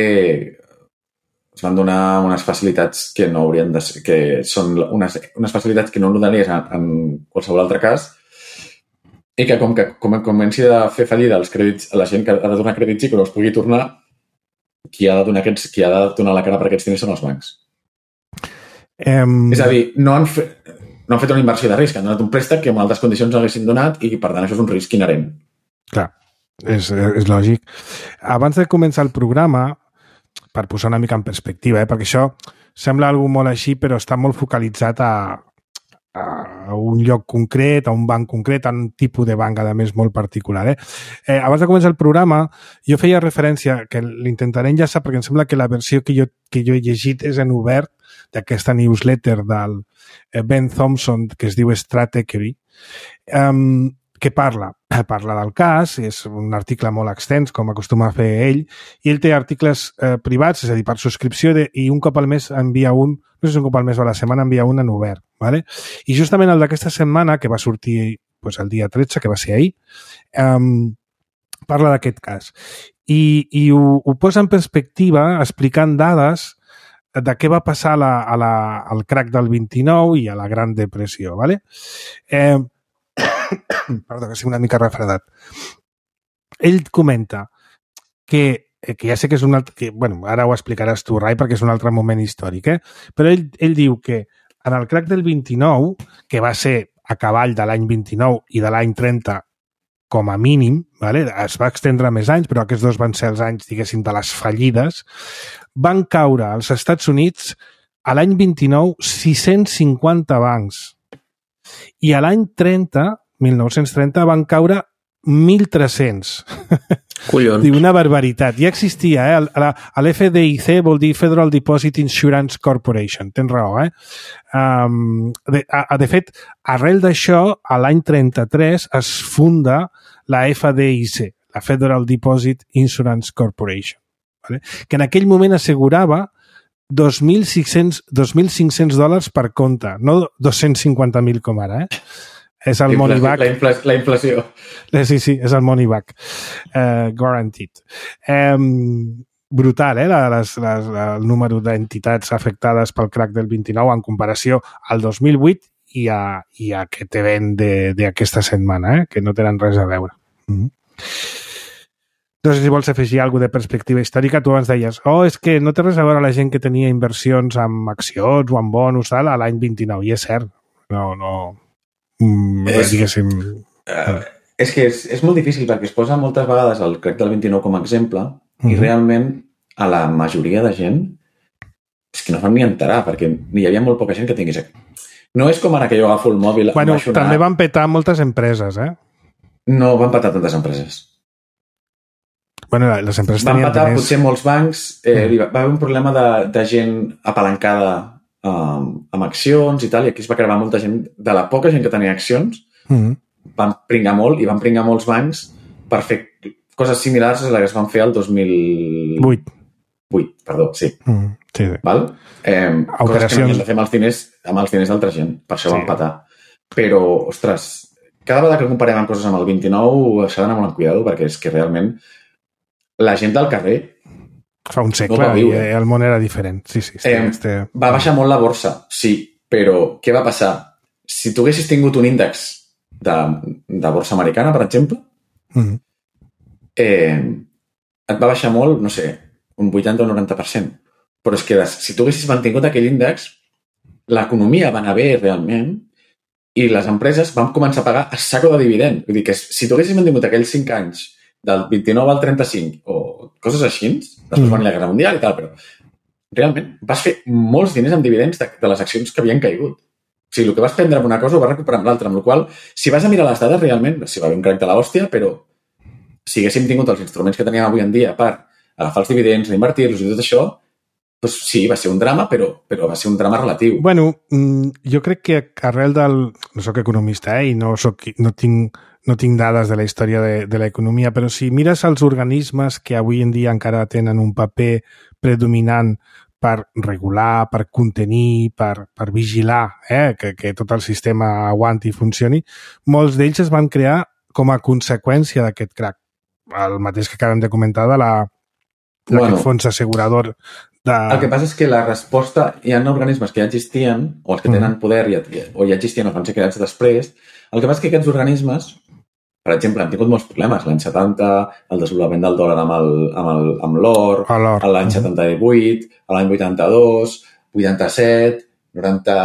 es van donar unes facilitats que no haurien de ser, que són unes facilitats que no donaries en qualsevol altre cas i que com comenci a fer fallida els crèdits, a la gent que ha de donar crèdits ICO no els pugui tornar, qui ha de donar la cara per aquests diners són els bancs. És a dir, no han fet una inversió de risc, han donat un préstec que en altres condicions no haguessin donat i per tant això és un risc inherent. Clar, és lògic. Abans de començar el programa, per posar una mica en perspectiva, perquè això sembla algo molt així, però està molt focalitzat a un lloc concret, a un banc concret, a un tipus de banc, a més, molt particular. Abans de començar el programa, jo feia referència, que l'intentaré enllaçar, perquè em sembla que la versió que jo he llegit és en obert, d'aquesta newsletter del Ben Thompson, que es diu Stratechery, que parla del cas, és un article molt extens, com acostuma a fer ell, i ell té articles privats, és a dir, per subscripció, i un cop al mes envia un, no sé si un cop al mes o a la setmana envia un en obert, ¿vale? I justament el d'aquesta setmana, que va sortir el dia 13, que va ser ahir, parla d'aquest cas. I ho posa en perspectiva explicant dades de què va passar al crack del 29 i a la Gran Depressió, ¿vale? Perdó, que sigui una mica refredat. Ell comenta que ja sé que és un altre... ara ho explicaràs tu, Rai, perquè és un altre moment històric, però ell diu que en el crack del 29, que va ser a cavall de l'any 29 i de l'any 30 com a mínim, ¿vale? Es va extendre més anys, però aquests dos van ser els anys, diguéssim, de les fallides, van caure als Estats Units a l'any 29 650 bancs. I a l'any 1930, van caure 1.300. Collons. Diu, una barbaritat. Ja existia, l'FDIC vol dir Federal Deposit Insurance Corporation. Tens raó, De fet, arrel d'això, a l'any 33 es funda la FDIC, la Federal Deposit Insurance Corporation, ¿vale? Que en aquell moment assegurava $2.500 per compte, no 250.000 com ara, eh? És el money back. La inflació. Sí, és el money back. Guaranteed. Brutal, el número d'entitats afectades pel crack del 29 en comparació al 2008 i a aquest event d'aquesta setmana, que no tenen res a veure. No sé si vols afegir alguna de perspectiva històrica. Tu abans deies, és que no té res a veure la gent que tenia inversions amb accions o amb bonus a l'any 29, i és cert. Diguéssim... És que és molt difícil perquè es posa moltes vegades el crack del 29 com a exemple i realment a la majoria de gent és que no fan ni enterar perquè hi havia molt poca gent que tingués... No és com ara que jo agafo el mòbil... Bueno, també van petar moltes empreses, eh? No van petar tantes empreses. Bueno, les empreses van tenien petar potser molts bancs, va haver un problema de gent apalancada amb accions i tal, i aquí es va crear molta gent, de la poca gent que tenia accions, van pringar molt i van pringar molts bancs per fer coses similars a les que es van fer el 2008. Perdó, sí. Sí. Val? Coses que no havien de fer amb els diners d'altra gent, per això van petar. Però, ostres, cada vegada que comparem amb coses amb el 29 s'ha d'anar molt amb cuidado perquè és que realment la gent del carrer fa un segle i el món era diferent. Sí. Va baixar molt la borsa, sí, però què va passar? Si tu haguessis tingut un índex de borsa americana, per exemple, et va baixar molt, no sé, un 80 o 90%. Però és que si tu haguessis mantingut aquell índex, l'economia va anar bé realment i les empreses van començar a pagar a saco de dividend. Vull dir que si tu haguessis mantingut aquells 5 anys del 29 al 35 o coses així, després va venir la Guerra Mundial i tal, però realment vas fer molts diners amb dividends de les accions que havien caigut. O sigui, el que vas prendre amb una cosa ho vas recuperar amb l'altra, amb la qual cosa, si vas a mirar les dades realment, sí, va haver un crack de l'hòstia, però si haguéssim tingut els instruments que teníem avui en dia per agafar els dividends, reinvertir-los i tot això, doncs sí, va ser un drama, però va ser un drama relatiu. Bueno, jo crec que arrel del... No soc economista, i no tinc dades de la història de l'economia, però si mires els organismes que avui en dia encara tenen un paper predominant per regular, per contenir, per vigilar que tot el sistema aguanti i funcioni, molts d'ells es van crear com a conseqüència d'aquest crack. El mateix que acabem de comentar d'aquest fons assegurador. El que passa és que la resposta... Hi ha organismes que ja existien, o els que tenen poder o ja existien o van ser creats després. El que passa és que aquests organismes, per exemple, han tingut molts problemes. L'any 70, el desenvolupament del dòlar amb l'or, l'any 78, l'any 82, 87, 90...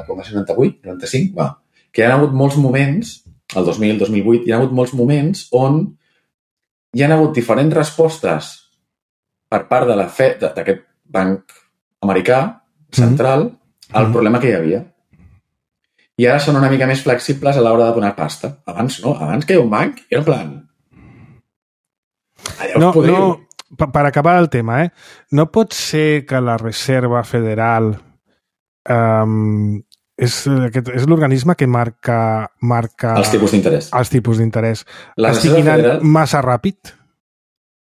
Com va ser? 98? 95? Que hi ha hagut molts moments, el 2000, 2008, hi ha hagut molts moments on hi ha hagut diferents respostes per part de la Fed, d'aquest banc americà central, al problema que hi havia. I ara són una mica més flexibles a l'hora de donar pasta. Abans no, abans que hi ha un banc i era en plan... Allà us podríeu... Per acabar el tema, no pot ser que la Reserva Federal és l'organisme que marca els tipus d'interès. Els tipus d'interès. Estigui anant massa ràpid?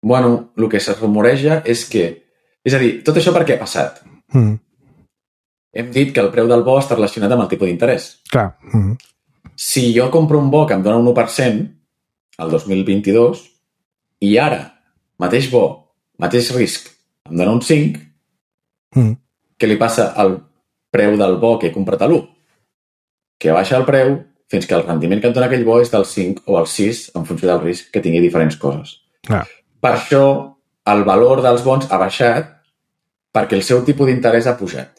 Bueno, el que se rumoreja és que... És a dir, tot això per què ha passat? Hem dit que el preu del bo està relacionat amb el tipus d'interès. Clar. Si jo compro un bo que em dona un 1% el 2022 i ara, mateix bo, mateix risc, em dona un 5, què li passa al preu del bo que he comprat a l'1? Que baixa el preu fins que el rendiment que em dona aquell bo és del 5 o el 6 en funció del risc que tingui diferents coses. Clar. Per això el valor dels bons ha baixat perquè el seu tipus d'interès ha pujat.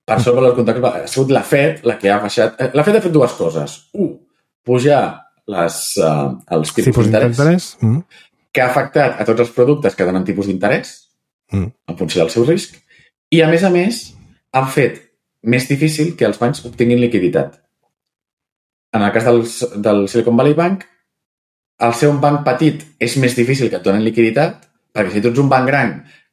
Per això el valor contracte ha sigut la Fed la que ha baixat. La Fed ha fet dues coses. Pujar els tipus d'interès que ha afectat a tots els productes que donen tipus d'interès en funció del seu risc i, a més, han fet més difícil que els bancs obtinguin liquiditat. En el cas del Silicon Valley Bank, al ser un banc petit és més difícil que et donen liquiditat perquè si tu ets un banc gran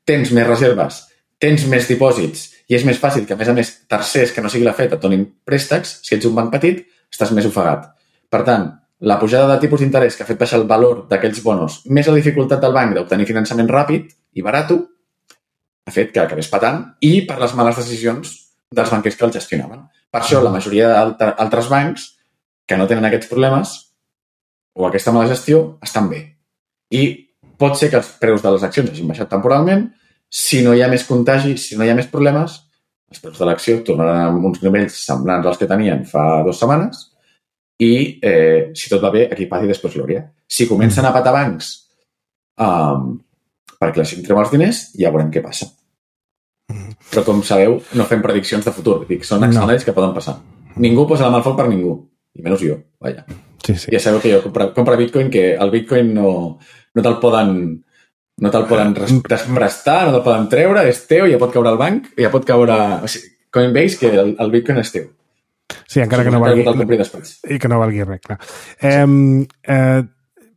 tens més reserves, tens més dipòsits i és més fàcil que, a més, tercers que no sigui la Fed et donin préstecs. Si ets un banc petit, estàs més ofegat. Per tant, la pujada de tipus d'interès que ha fet baixar el valor d'aquells bonos, més la dificultat del banc d'obtenir finançament ràpid i barat, ha fet que acabés patant i per les males decisions dels banquers que el gestionaven. Per això, la majoria d'altres bancs que no tenen aquests problemes o aquesta mala gestió estan bé. I pot ser que els preus de les accions hagin baixat temporalment. Si no hi ha més contagi, si no hi ha més problemes, els preus de l'acció tornaran a uns nivells semblants als que tenien fa 2 setmanes i, si tot va bé, aquí paz i després glòria. Si comencen a patar bancs perquè la gent treu els diners, ja veurem què passa. Però, com sabeu, no fem prediccions de futur. Dic, són escenaris que poden passar. Ningú posa la mà al foc per ningú. I menys jo, vaja. Sí, sí. Ja sabeu que jo compro Bitcoin, que el Bitcoin no te'l poden prestar, no te'l poden treure, és teu, ja pot caure al banc, ja pot caure Coinbase, que el Bitcoin és teu. Sí, encara que no valgui... I que no valgui res, clar.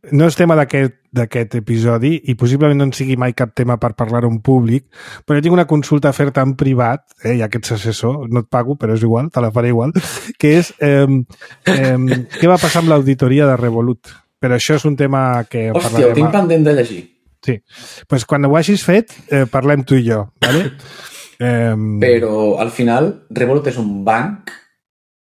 No és tema d'aquest episodi i possiblement no en sigui mai cap tema per parlar-ho en públic, però jo tinc una consulta a fer-te en privat, ja que ets assessor, no et pago, però és igual, te la faré igual, que és què va passar amb l'auditoria de Revolut? Però això és un tema que Hòstia, parlarem... ho tinc pendent de llegir. Sí. Doncs quan ho hagis fet, parlem tu i jo, ¿vale? Però, al final, Revolut és un banc,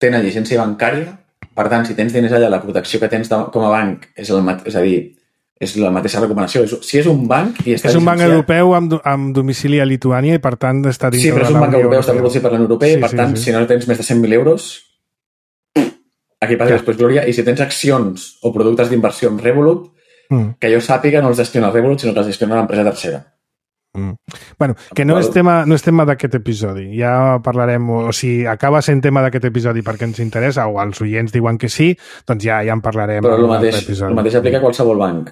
té una llicència bancària. Per tant, si tens diners allà, la protecció que tens com a banc és a dir, és la mateixa recomanació. Si és un banc i està és un banc europeu amb domicili a Lituània i, per tant, està dins de la Unió Europea. Sí, però és un banc europeu, està recolzat per la Unió Europea i, per tant, si no tens més de 100.000 euros, aquí passa després glòria. I si tens accions o productes d'inversió en Revolut, que jo sàpiga no els gestiona Revolut, sinó que els gestiona l'empresa tercera. Bueno, que no és tema d'aquest episodi. Ja parlarem, o si acaba sent tema d'aquest episodi perquè ens interessa, o els oients diuen que sí, doncs ja en parlarem. Però el mateix aplica a qualsevol banc.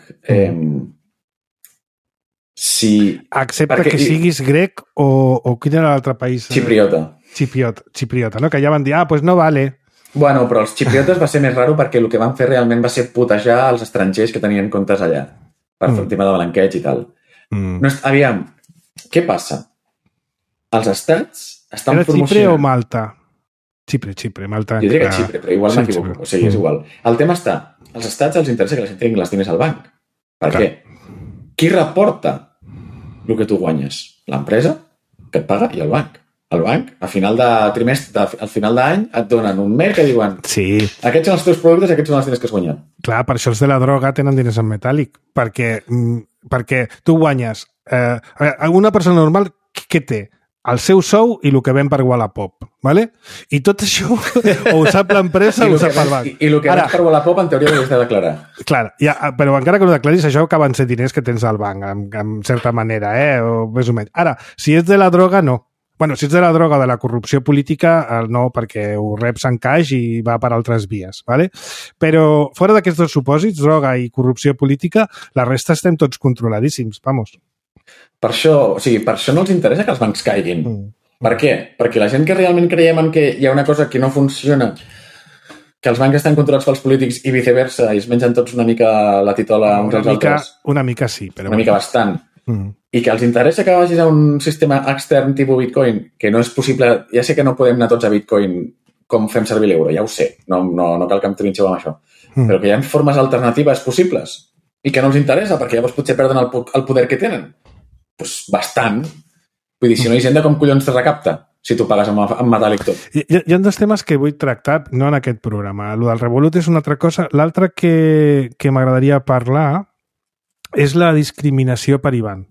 Excepte que siguis grec o quin era l'altre país? Xipriota, no? Que ja van dir, doncs no vale. Bueno, però els xipriotes va ser més raro perquè el que van fer realment va ser putejar els estrangers que tenien comptes allà per fer el tema de blanqueig i tal. No, aviam, què passa? Els estats estan promocionant... Era Xipre o Malta? Xipre, Malta... Jo diria que Xipre, però igual m'equivoco. O sigui, és igual. El tema està, als estats els interessa que la gent tingui els diners al banc. Per què? Qui reporta el que tu guanyes? L'empresa, que et paga, i el banc. El banc, a final de trimestre, al final d'any, et donen un mail que diuen aquests són els teus productes, aquests són els diners que has guanyat. Clar, per això els de la droga tenen diners en metàl·lic, perquè tu guanyes... una persona normal, què té? El seu sou i el que ven per Wallapop, ¿vale? I tot això o ho sap l'empresa o ho sap el banc. I el que vens per Wallapop en teoria ho has de declarar. Clar, però encara que ho declaris, això acaben sent diners que tens al banc, en certa manera, o més o menys. Ara, si és de la droga, no. Bueno, si ets de la droga o de la corrupció política, no, perquè ho reps en caix i va per altres vies, ¿vale? Però fora d'aquests dos supòsits, droga i corrupció política, la resta estem tots controladíssims, vamos. Per això no els interessa que els bancs caiguin. Per què? Perquè la gent que realment creiem en que hi ha una cosa que no funciona, que els bancs estan controlats pels polítics i viceversa, i es mengen tots una mica la titola uns als altres. Una mica sí, però... Una mica bastant. I que els interessa que vagis a un sistema extern tipus Bitcoin, que no és possible... Ja sé que no podem anar tots a Bitcoin com fem servir l'euro, ja ho sé. No cal que em trinxeu amb això. Però que hi ha formes alternatives possibles i que no els interessa, perquè llavors potser perden el poder que tenen. Doncs bastant. Vull dir, si no hi gent, com collons te recapta? Si tu pagues amb metàl·lic tot. Hi ha dos temes que vull tractar, no en aquest programa. El del Revolut és una altra cosa. L'altra que m'agradaria parlar és la discriminació per IBAN.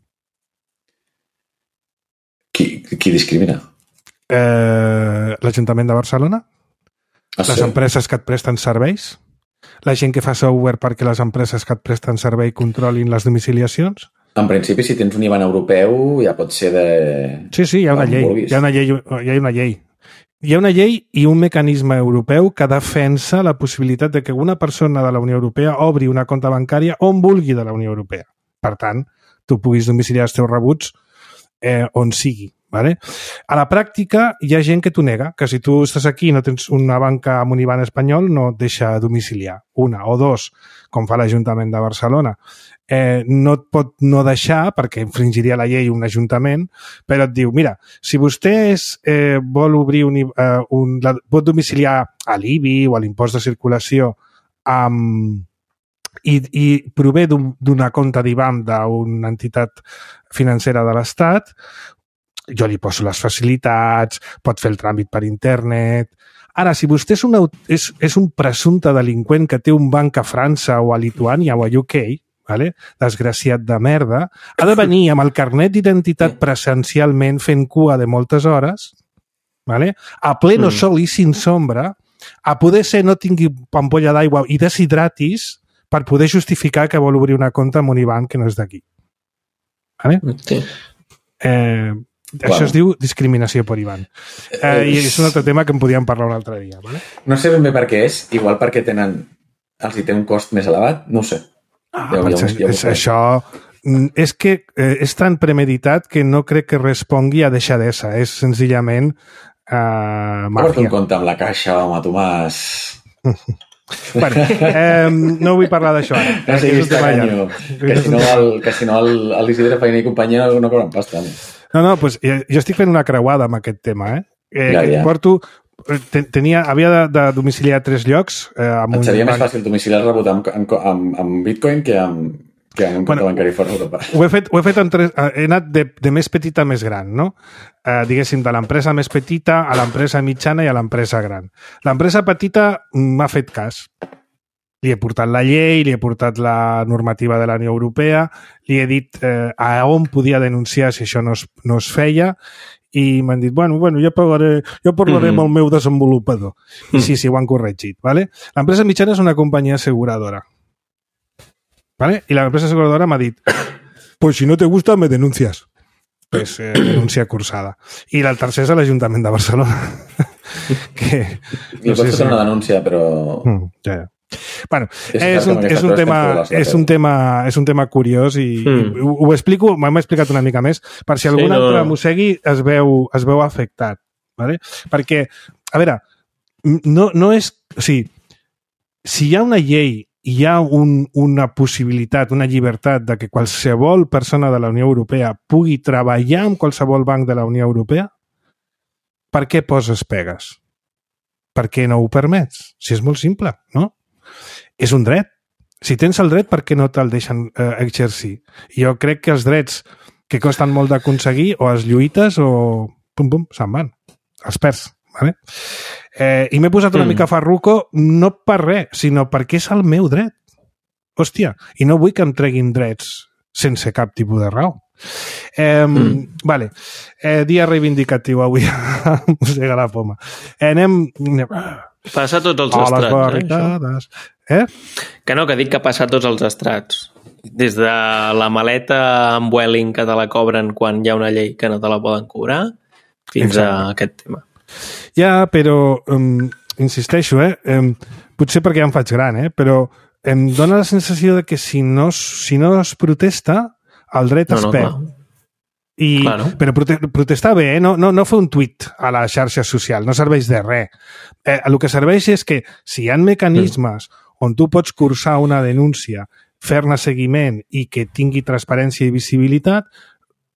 Qui discrimina? L'Ajuntament de Barcelona, les empreses que et presten serveis, la gent que fa software perquè les empreses que et presten servei controlin les domiciliacions. En principi, si tens un IBAN europeu, ja pot ser de... Sí, hi ha una llei. Hi ha una llei. Hi ha una llei i un mecanisme europeu que defensa la possibilitat de que una persona de la Unió Europea obri una compta bancària on vulgui de la Unió Europea. Per tant, tu puguis domiciliar els teus rebuts on sigui. ¿Vale? A la pràctica hi ha gent que t'ho nega, que si tu estàs aquí i no tens una banca amb un IBAN espanyol no et deixa domiciliar. Una o dos, com fa l'Ajuntament de Barcelona. No et pot no deixar, perquè infringiria la llei un ajuntament, però et diu, mira, si vostè vol obrir pot domiciliar a l'IBI o a l'impost de circulació i prové d'una compte d'IBAN d'una entitat financera de l'Estat, jo li poso les facilitats, pot fer el tràmit per internet. Ara, si vostè és un presumpte delinqüent que té un banc a França o a Lituània o a UK, vale? Desgraciat de merda, ha de venir amb el carnet d'identitat presencialment fent cua de moltes hores, vale? A pleno sol i sin sombra, a poder ser no tingui ampolla d'aigua i deshidratis per poder justificar que vol obrir una compte amb un IBAN que no és d'aquí. Vale? Sí. Això es diu discriminació per IBAN. I és un altre tema que en podíem parlar un altre dia. Vale? No sé ben bé per què és, igual perquè els hi té un cost més elevat, no ho sé. Això és que és tan premeditat que no crec que respongui a deixadesa. És senzillament màfia. Porta un compte amb la caixa, home, Tomàs. Bueno, no vull parlar d'això ara. No sé, que si no l'Isidre Feina i companyia no cobren pasta. No, doncs jo estic fent una creuada amb aquest tema, Ja. Porto... havia de domiciliar 3 llocs. Et seria més fàcil domiciliar el rebut amb Bitcoin que amb un compte bancari fora d'Europa. Ho he fet en 3... He anat de més petita a més gran, no? Diguéssim, de l'empresa més petita a l'empresa mitjana i a l'empresa gran. L'empresa petita m'ha fet cas. Li he portat la llei, li he portat la normativa de la Unió Europea, li he dit a on podia denunciar si això no es feia, i m'han dit, bueno, jo parlaré amb el meu desenvolupador. I sí, ho han corregit. ¿Vale? L'empresa mitjana és una companyia asseguradora. ¿Vale? I l'empresa asseguradora m'ha dit, pues si no te gusta, me denuncias. Pues denúncia cursada. I el tercer és l'Ajuntament de Barcelona. I pots fer una denúncia, però... Ja. Bueno, és un tema curiós i ho explico, m'hem explicat una mica més per si algun altre mossegui es veu afectat, ¿vale? Perquè, a veure, no és... O sigui, si hi ha una llei i hi ha una possibilitat, una llibertat de que qualsevol persona de la Unió Europea pugui treballar amb qualsevol banc de la Unió Europea, per què poses pegues? Per què no ho permets? Si és molt simple, no? És un dret. Si tens el dret, per què no te'l deixen exercir? Jo crec que els drets que costen molt d'aconseguir o els lluites o pum, se'n van. Els perds. Vale? I m'he posat una mica farruco no per res, sinó perquè és el meu dret. Hòstia, i no vull que em treguin drets sense cap tipus de raó. Vale. Dia reivindicatiu avui a Mossega la Poma. Passa tots els estrats. Que no, que dic que passa tots els estrats. Des de la maleta amb Welling que te la cobren quan hi ha una llei que no te la poden cobrar fins a aquest tema. Ja, però insisteixo, potser perquè ja em faig gran, però em dóna la sensació de que si no es protesta, el dret es perd. Però protestar bé, no fer un tuit a la xarxa social, no serveix de res. El que serveix és que si hi ha mecanismes on tu pots cursar una denúncia, fer-ne seguiment i que tingui transparència i visibilitat,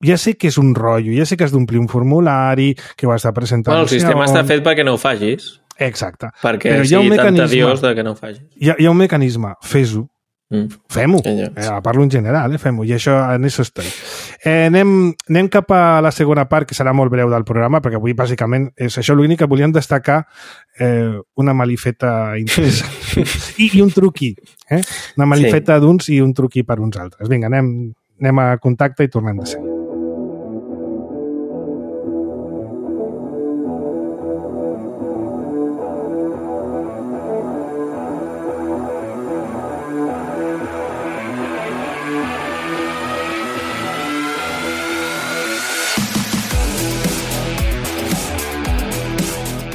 ja sé que és un rotllo, ja sé que has d'omplir un formulari, que ho has de presentar... El sistema està fet perquè no ho facis. Exacte. Perquè sigui tan tediós que no ho facis. Hi ha un mecanisme, fes-ho. Fem-ho. Parlo en general, fem-ho. I això, en això estic. Anem cap a la segona part, que serà molt breu del programa, perquè avui, bàsicament, és això l'únic que volíem destacar, una malifeta interessant. I un truqui. Una malifeta d'uns i un truqui per uns altres. Vinga, anem a contacte i tornem de seguida.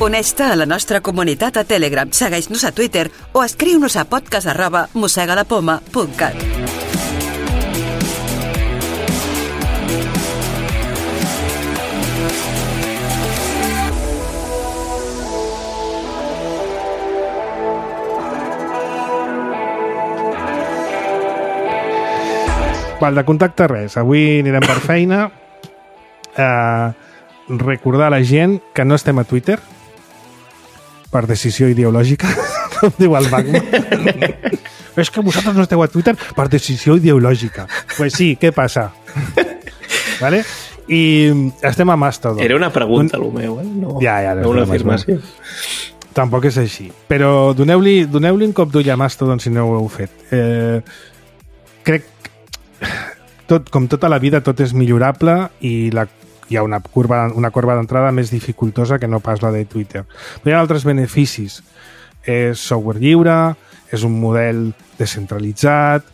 Uneix-te a la nostra comunitat a Telegram, segueix-nos a Twitter o escriu-nos a podcast@mossegalapoma.cat. Val, de contacte res. Avui anirem per feina. Recordar a la gent que no estem a Twitter per decisió ideològica. Com diu el Bachman. És que vosaltres no esteu a Twitter per decisió ideològica. Pues sí, què passa? Vale? I estem a Mastodon. Era una pregunta, el meu, no, no una afirmació. Tampoc és així. Però doneu-li un cop d'ull a Mastodon si no ho heu fet. Crec com tota la vida tot és millorable i hi ha una corba d'entrada més dificultosa que no pas la de Twitter. Però hi ha altres beneficis. És software lliure, és un model descentralitzat,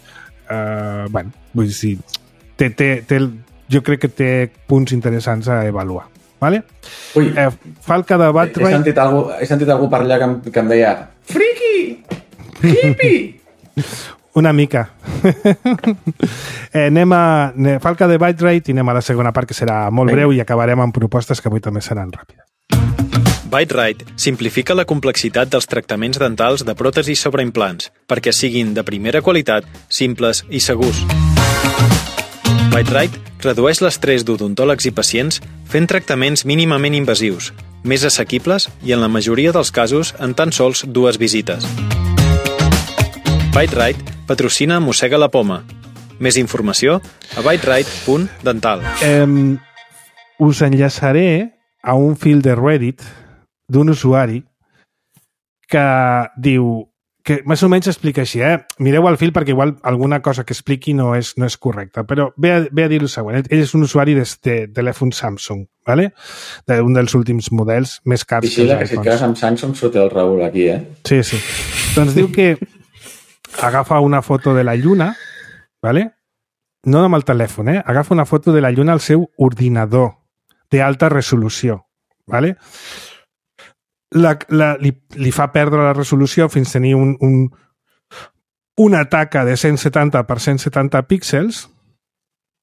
vull dir, jo crec que té punts interessants a avaluar. Vale? Ui, Falca de Batrite... He sentit algú per allà que em deia friki! Hippie! Una mica. Falca de Batrite i anem a la segona part, que serà molt breu i acabarem amb propostes que avui també seran ràpides. Byte-Rite simplifica la complexitat dels tractaments dentals de pròtesis sobre implants perquè siguin de primera qualitat, simples i segurs. Byte-Rite redueix l'estrès d'odontòlegs i pacients fent tractaments mínimament invasius, més assequibles i en la majoria dels casos en tan sols 2 visites. Byte-Rite patrocina Mossega la Poma. Més informació a byterite.dental. Us enllaçaré a un fil de Reddit d'un usuari que diu que més o menys explica així, mireu el fil perquè igual alguna cosa que expliqui no és correcta, però ve a dir el següent. Ell és un usuari de telèfon Samsung, ¿vale? D'un dels últims models més cars. Vigila, que si et quedes amb Samsung surt el Raül aquí, Sí. Doncs diu que agafa una foto de la lluna, ¿vale? No amb el telèfon, agafa una foto de la lluna al seu ordinador d'alta resolució, ¿vale? Li fa perdre la resolució fins a tenir una taca de 170 per 170 píxels,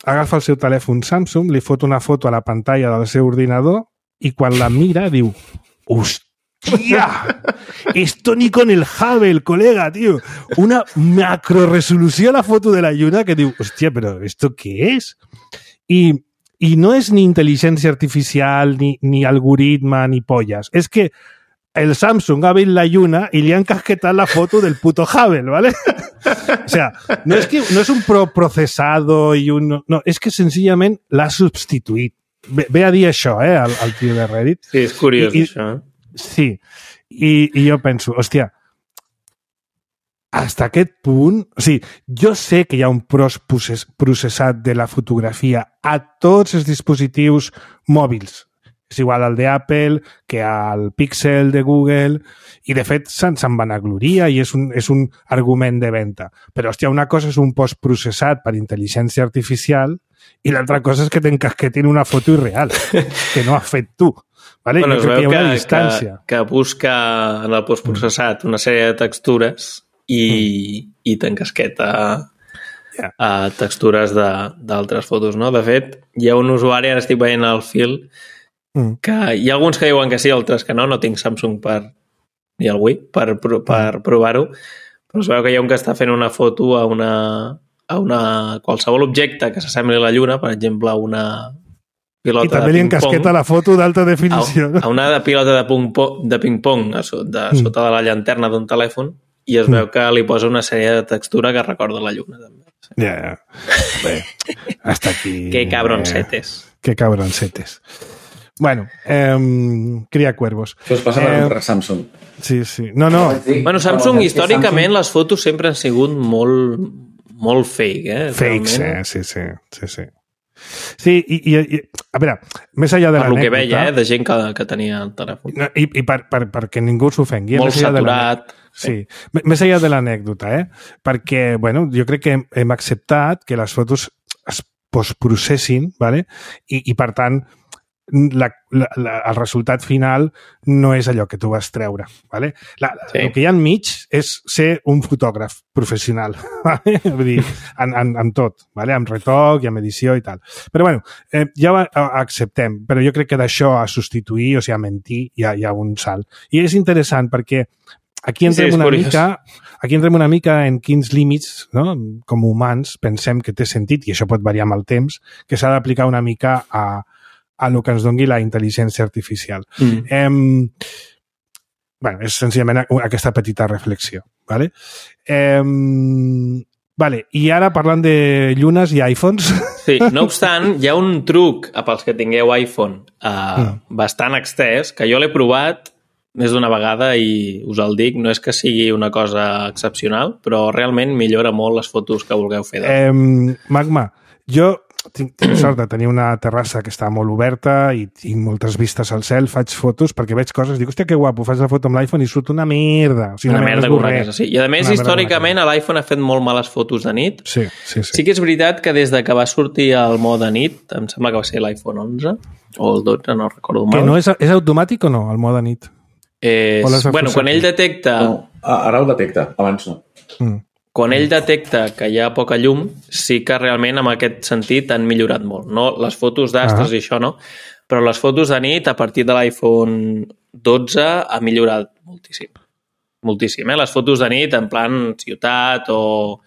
agafa el seu telèfon Samsung, li fot una foto a la pantalla del seu ordinador i quan la mira diu ¡hostia! Esto ni con el Hubble, colega, tío. Una macroresolució a la foto de la lluna que diu, hòstia, però ¿esto qué es? I no és ni intel·ligència artificial, ni algoritme, ni pollas. És que el Samsung ha vist la lluna i li han casquetat la foto del puto Hubble, ¿vale? O sea, no és un processado i un... No, és que senzillament l'ha substituït. Ve a dir això, al tio de Reddit. Sí, és curiós, això. Sí, i jo penso, hòstia, fins a aquest punt... O sigui, jo sé que hi ha un processat de la fotografia a tots els dispositius mòbils. És igual al d'Apple que al Pixel de Google i, de fet, se'n vanagloria i és un argument de venda. Però, hòstia, una cosa és un postprocessat per intel·ligència artificial i l'altra cosa és que t'encasquetin una foto irreal, que no has fet tu. Vale? Bueno, es veu que busca en el postprocessat una sèrie de textures i t'encasqueta textures d'altres fotos, no? De fet, hi ha un usuari, ara estic veient el fil, que hi ha alguns que diuen que sí, altres que no tinc Samsung ni el Wii per provar-ho, però es veu que hi ha un que està fent una foto a qualsevol objecte que s'assembli a la lluna, per exemple, a una pilota de ping-pong. I també li encasqueta la foto d'alta definició. A una pilota de ping-pong sota de la llanterna d'un telèfon i es veu que li posa una sèrie de textura que recorda la lluna, també. Ja. Bé, hasta aquí... Que cabroncetes. Que cabroncetes. Bueno, cria cuervos. Això es passa per Samsung. Sí. No. Bueno, Samsung, històricament, les fotos sempre han sigut molt fake, Fakes, sí. Sí, i a veure, més enllà de l'anècdota... Per lo que veia, de gent que tenia el telèfon. I perquè ningú s'ofengui. Molt saturat. Sí, més enllà de l'anècdota, perquè, bueno, jo crec que hem acceptat que les fotos es postprocessin, ¿vale? I per tant, el resultat final no és allò que tu vas treure, ¿vale? El que hi ha enmig és ser un fotògraf professional, ¿vale? Vull dir, amb tot, ¿vale? Amb retoc i amb edició i tal. Però bueno, ja ho acceptem, però jo crec que d'això a substituir, o sigui, a mentir, hi ha un salt. I és interessant perquè aquí entrem una mica en quins límits, no? Com humans, pensem que té sentit, i això pot variar amb el temps, que s'ha d'aplicar una mica a el que ens doni la intel·ligència artificial. és senzillament aquesta petita reflexió. Vale? Vale, i ara parlant de llunes i iPhones... Sí, no obstant, hi ha un truc pels que tingueu iPhone bastant extès, que jo l'he provat més d'una vegada i us el dic, no és que sigui una cosa excepcional, però realment millora molt les fotos que vulgueu fer. Magma, jo tinc sort de tenir una terrassa que està molt oberta i tinc moltes vistes al cel, faig fotos perquè veig coses, dic, hòstia, que guapo, faig la foto amb l'iPhone i surt una merda. O sigui, una merda correcta, sí. I a més, històricament, l'iPhone ha fet molt males fotos de nit. Sí. Sí que és veritat que des de que va sortir el mode nit, em sembla que va ser l'iPhone 11 o el 12, no recordo mal. Que no és automàtic o no, el mode nit? Bueno, quan ell detecta... No, ara ho detecta, abans no. Quan ell detecta que hi ha poca llum, sí que realment en aquest sentit han millorat molt. No les fotos d'astres i això no, però les fotos de nit a partir de l'iPhone 12 ha millorat moltíssim. Moltíssim, Les fotos de nit en plan ciutat o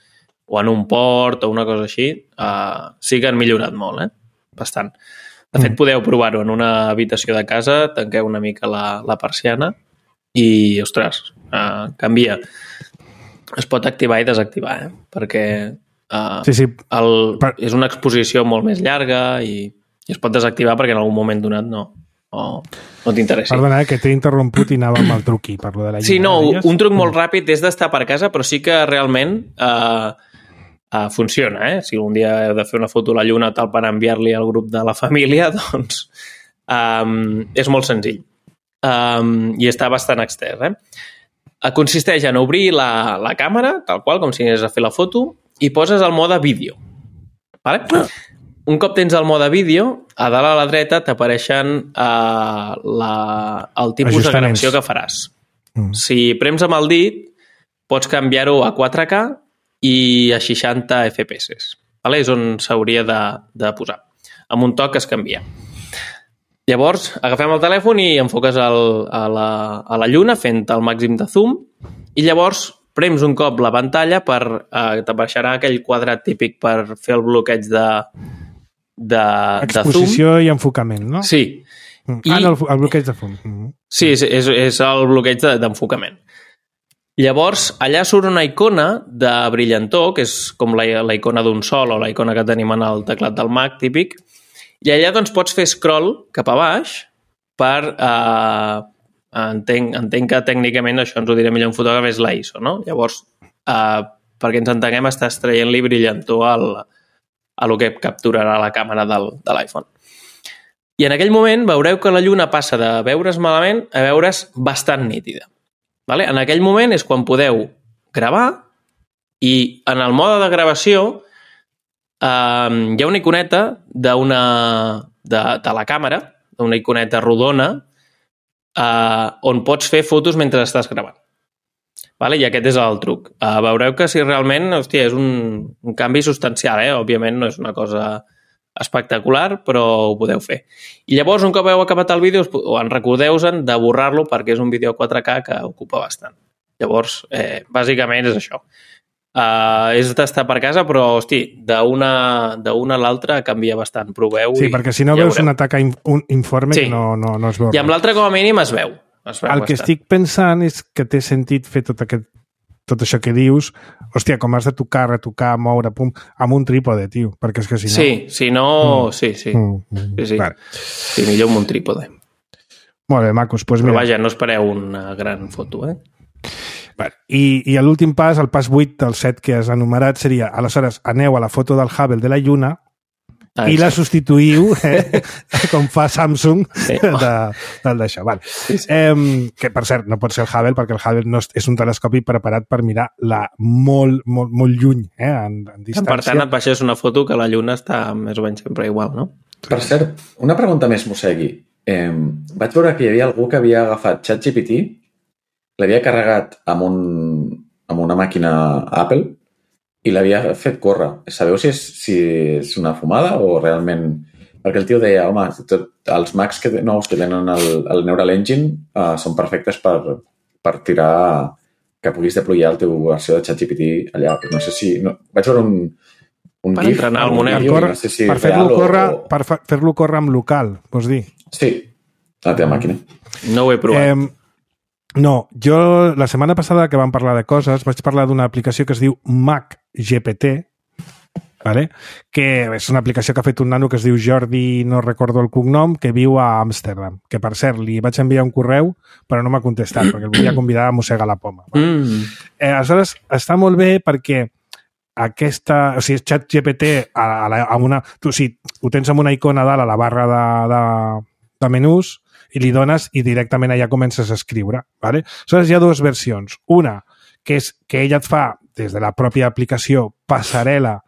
en un port o una cosa així sí que han millorat molt, bastant. De fet, podeu provar-ho en una habitació de casa, tanqueu una mica la persiana i, ostres, canvia. Es pot activar i desactivar, perquè és una exposició molt més llarga i es pot desactivar perquè en algun moment donat no t'interessi. Perdona, que t'he interromput i anava amb el truqui, parlo de la lluna. Sí, no, un truc molt ràpid és d'estar per casa, però sí que realment funciona, Si un dia heu de fer una foto a la lluna tal per enviar-li al grup de la família, doncs és molt senzill. I està bastant extès, Consisteix en obrir la càmera, tal qual, com si anés a fer la foto, i poses el mode vídeo. Vale? Un cop tens el mode vídeo, a dalt a la dreta t'apareixen el tipus de gravació que faràs. Si prems amb el dit, pots canviar-ho a 4K i a 60 FPS. Vale? És on s'hauria de posar. Amb un toc es canvia. Llavors, agafem el telèfon i enfoques a la lluna fent el màxim de zoom i llavors prems un cop la pantalla t'apareixerà aquell quadrat típic per fer el bloqueig de zoom. Exposició i enfocament, no? Sí. El bloqueig de zoom. Sí, és el bloqueig d'enfocament. Llavors, allà surt una icona de brillantor, que és com la icona d'un sol o la icona que tenim en el teclat del Mac típic, i allà doncs pots fer scroll cap a baix per... entenc que tècnicament això ens ho diré millor un fotògraf, és la ISO, no? Llavors, perquè ens entenguem, estàs traient-li brillantor a lo que capturarà la càmera de l'iPhone. I en aquell moment veureu que la lluna passa de veure's malament a veure's bastant nítida. Vale? En aquell moment és quan podeu gravar i en el mode de gravació hi ha una iconeta de la càmera, una iconeta rodona, on pots fer fotos mentre estàs gravant. Vale? I aquest és el truc. Veureu que si realment, és un canvi substancial, òbviament no és una cosa espectacular, però ho podeu fer. I llavors, un cop heu acabat el vídeo, recordeu-vos de borrar-lo perquè és un vídeo 4K que ocupa bastant. Llavors, bàsicament és això. És d'estar per casa, però, d'una a l'altra canvia bastant. Proveu. Sí, perquè si no veus un atac informe que no es veu. I amb l'altre, com a mínim, es veu. El que estic pensant és que té sentit fer tot això que dius, com has de tocar, retocar, moure, amb un trípode, tio, perquè és que si no... Sí, si no... Sí. Vale. Sí, millor amb un trípode. Molt bé, macos. Però vaja, no espereu una gran foto, Vale. I l'últim pas, el pas 8 del 7 que has enumerat, seria, aleshores, aneu a la foto del Hubble de la Lluna i la substituïu, com fa Samsung, d'això. Vale. Sí. Que, per cert, no pot ser el Hubble, perquè el Hubble no és un telescopi preparat per mirar molt, molt, molt lluny, en distància. Per tant, et baixes una foto que la Lluna està més o menys sempre igual, no? Per cert, una pregunta més, Mossegui. Vaig veure que hi havia algú que havia agafat ChatGPT, l'havia carregat amb una màquina Apple i l'havia fet córrer. Sabeu si és una fumada o realment... Perquè el tio deia, home, els Macs nous que tenen el Neural Engine són perfectes per tirar que puguis deployar la teva versió de ChatGPT allà. No sé si... Vaig veure un per GIF... entrenar el Monero. Per fer-lo córrer amb local, vols dir? Sí, a la teva màquina. No ho he provat. No, jo la setmana passada que vam parlar de coses vaig parlar d'una aplicació que es diu MacGPT, vale? Que és una aplicació que ha fet un nano que es diu Jordi, no recordo el cognom, que viu a Amsterdam. Que, per cert, li vaig enviar un correu, però no m'ha contestat, perquè el volia convidar a mossegar la poma. Vale? Aleshores, està molt bé perquè aquesta... O sigui, ChatGPT a una... Tu, sí, ho tens amb una icona dalt a la barra de menús i li dones i directament allà comences a escriure. Vale? Aleshores, hi ha dues versions. Una, que és que ella et fa, des de la pròpia aplicació, passarel·la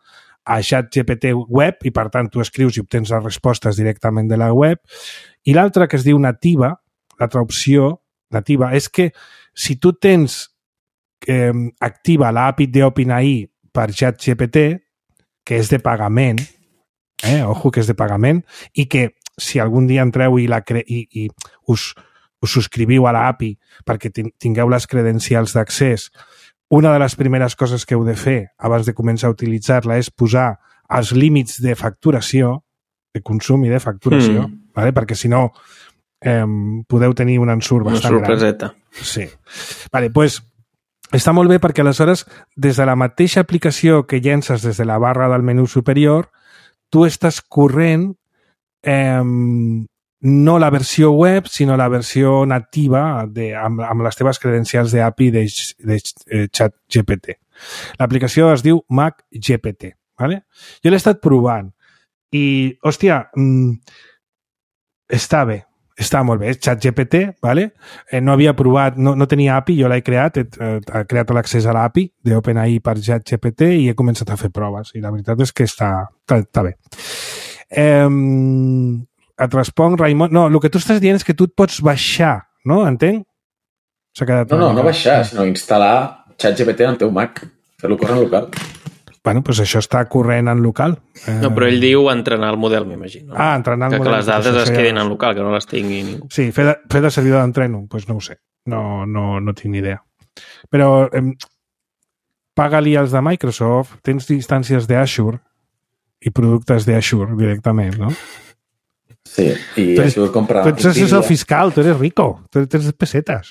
a ChatGPT web i, per tant, tu escrius i obtens les respostes directament de la web. I l'altra, que es diu nativa, l'altra opció nativa, és que si tu tens activa l'API d'OpenAI per ChatGPT, que és de pagament, ojo que és de pagament, i que si algun dia entreu i us subscriviu a l'API perquè tingueu les credencials d'accés, una de les primeres coses que heu de fer abans de començar a utilitzar-la és posar els límits de facturació, de consum i de facturació, vale? Perquè si no podeu tenir un ensurt bastant gran. Sí. Vale, pues, està molt bé perquè aleshores des de la mateixa aplicació que llences des de la barra del menú superior, tu estàs corrent no la versió web, sinó la versió nativa amb les teves credencials d'API de ChatGPT. L'aplicació es diu MacGPT. ¿Vale? Jo l'he estat provant i, hòstia, està bé, està molt bé. És ChatGPT, ¿vale? No havia provat, no tenia API, jo l'he creat, he creat l'accés a l'API d'OpenAI per ChatGPT i he començat a fer proves i la veritat és que està bé. Et responc, Raimon... No, el que tu estàs dient és que tu et pots baixar, no? Entenc? No baixar, sinó instal·lar ChatGPT en el teu Mac, fer-lo córrer en local. Bueno, doncs això està corrent en local. No, però ell diu entrenar el model, m'imagino. Entrenar el model. Que les dades es quedin en local, que no les tingui ningú. Sí, fer de servidor d'entreno, doncs no ho sé. No tinc ni idea. Però paga-li els de Microsoft, tens instàncies d'Azure i productes d'Azure directament, no? Sí, i Azure compra... Tu ets assessor fiscal, tu eres rico, tu tens pessetes.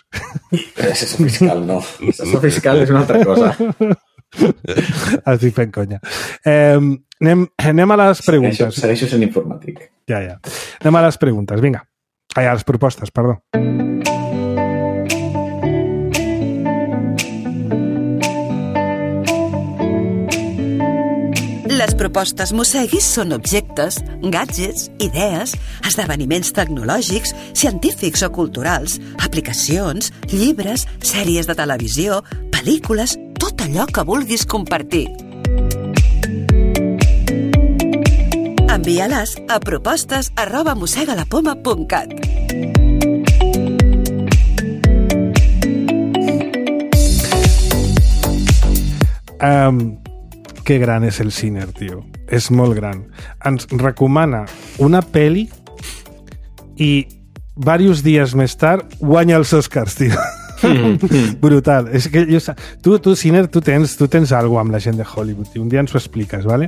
Assessor fiscal no, assessor fiscal és una altra cosa. Estic fent conya. Anem a les preguntes. Segueixo sent informàtic. Ja. Anem a les preguntes, vinga. A les propostes, perdó. Les propostes Mosseguis són objectes, gadgets, idees, esdeveniments tecnològics, científics o culturals, aplicacions, llibres, sèries de televisió, pel·lícules, tot allò que vulguis compartir. Envia-les a propostes@mossegalapoma.cat. Que gran és el Ciner, tio. És molt gran. Ens recomana una pel·li i diversos dies més tard guanya els Oscars, tio. Brutal. És que tu, Ciner, tu tens alguna cosa amb la gent de Hollywood, tio. Un dia ens ho expliques, ¿vale?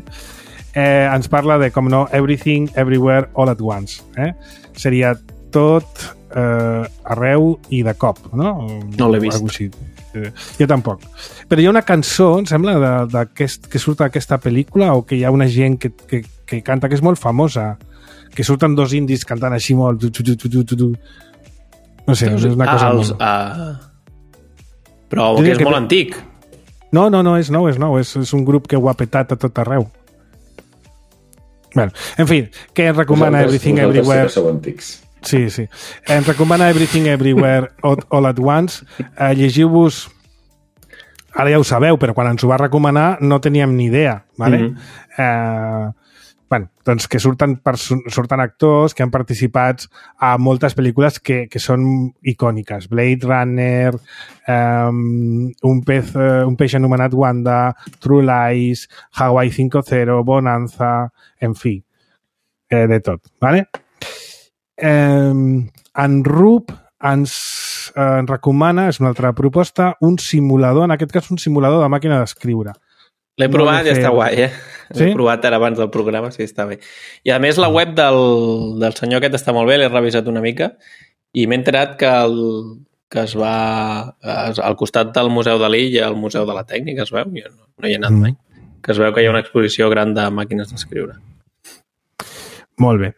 Ens parla de, com no, Everything, Everywhere, All at Once. Seria tot arreu i de cop, no? No l'he vist. Jo tampoc. Però hi ha una cançó, em sembla, que surt d'aquesta pel·lícula o que hi ha una gent que canta, que és molt famosa, que surten dos indis cantant així molt... No sé, és una cosa molt... Però que és molt antic. No, és nou. És un grup que ho ha petat a tot arreu. Bueno, en fi, que ens recomana Everything Everywhere... Sí. Ens recomana Everything Everywhere All at Once. Llegiu-vos... Ara ja ho sabeu, però quan ens ho va recomanar no teníem ni idea, ¿vale? Bueno, doncs que surten actors que han participat a moltes pel·lícules que són icòniques. Blade Runner, un peix anomenat Wanda, True Lies, Hawaii 5.0, Bonanza, en fi, de tot, ¿vale? En Rup ens recomana, és una altra proposta, un simulador, en aquest cas un simulador de màquina d'escriure. L'he provat i està guai, Sí? L'he provat ara abans del programa, sí, està bé. I a més la web del senyor aquest està molt bé, l'he revisat una mica i m'he enterat que que es va... al costat del Museu Dalí i al Museu de la Tècnica, es veu? Jo no hi he anat mai. Que es veu que hi ha una exposició gran de màquines d'escriure. Molt bé.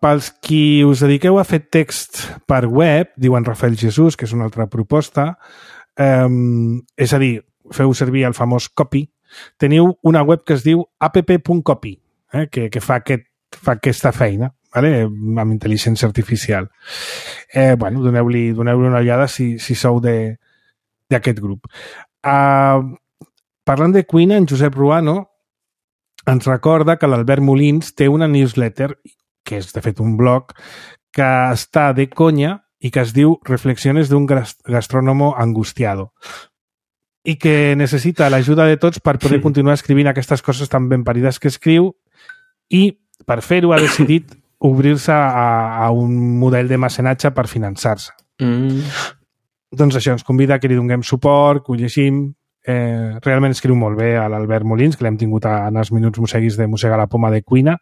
Pels qui us dediqueu a fer text per web, diuen Rafael Jesús, que és una altra proposta, és a dir, feu servir el famós copy, teniu una web que es diu app.copy, que fa aquesta feina, vale? Amb intel·ligència artificial. Bueno, doneu-li una ullada si sou d'aquest grup. Parlant de cuina, en Josep Ruano ens recorda que l'Albert Molins té una newsletter, que és de fet un blog, que està de conya i que es diu Reflexiones d'un gastrónomo angustiado i que necessita l'ajuda de tots per poder continuar escrivint aquestes coses tan ben parides que escriu i per fer-ho ha decidit obrir-se a un model de mecenatge per finançar-se. Doncs això, ens convida que li donem suport, que ho llegim. Realment escriu molt bé a l'Albert Molins, que l'hem tingut en els minuts mosseguis de Mossegar la Poma de Cuina,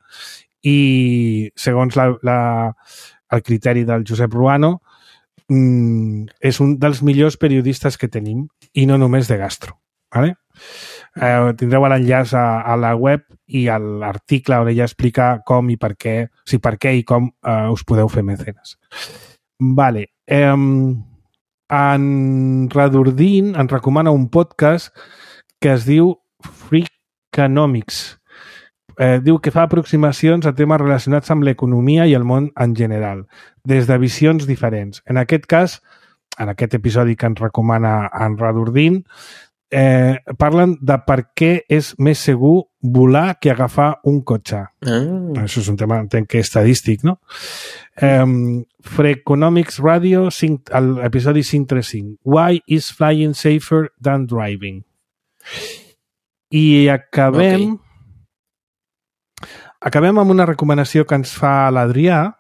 i segons el criteri del Josep Ruano és un dels millors periodistes que tenim i no només de gastro. Vale? Tindreu l'enllaç a la web i a l'article on ella explica com i per què, i com us podeu fer mecenes. Vale. En Radurdin ens recomana un podcast que es diu Freakonomics. Diu que fa aproximacions a temes relacionats amb l'economia i el món en general, des de visions diferents. En aquest cas, en aquest episodi que ens recomana en Radurdin, parlen de per què és més segur volar que agafar un cotxe. Això és un tema, entenc que estadístic, no? Freakonomics Radio, l'episodi 535. Why is flying safer than driving? I acabem amb una recomanació que ens fa l'Adrià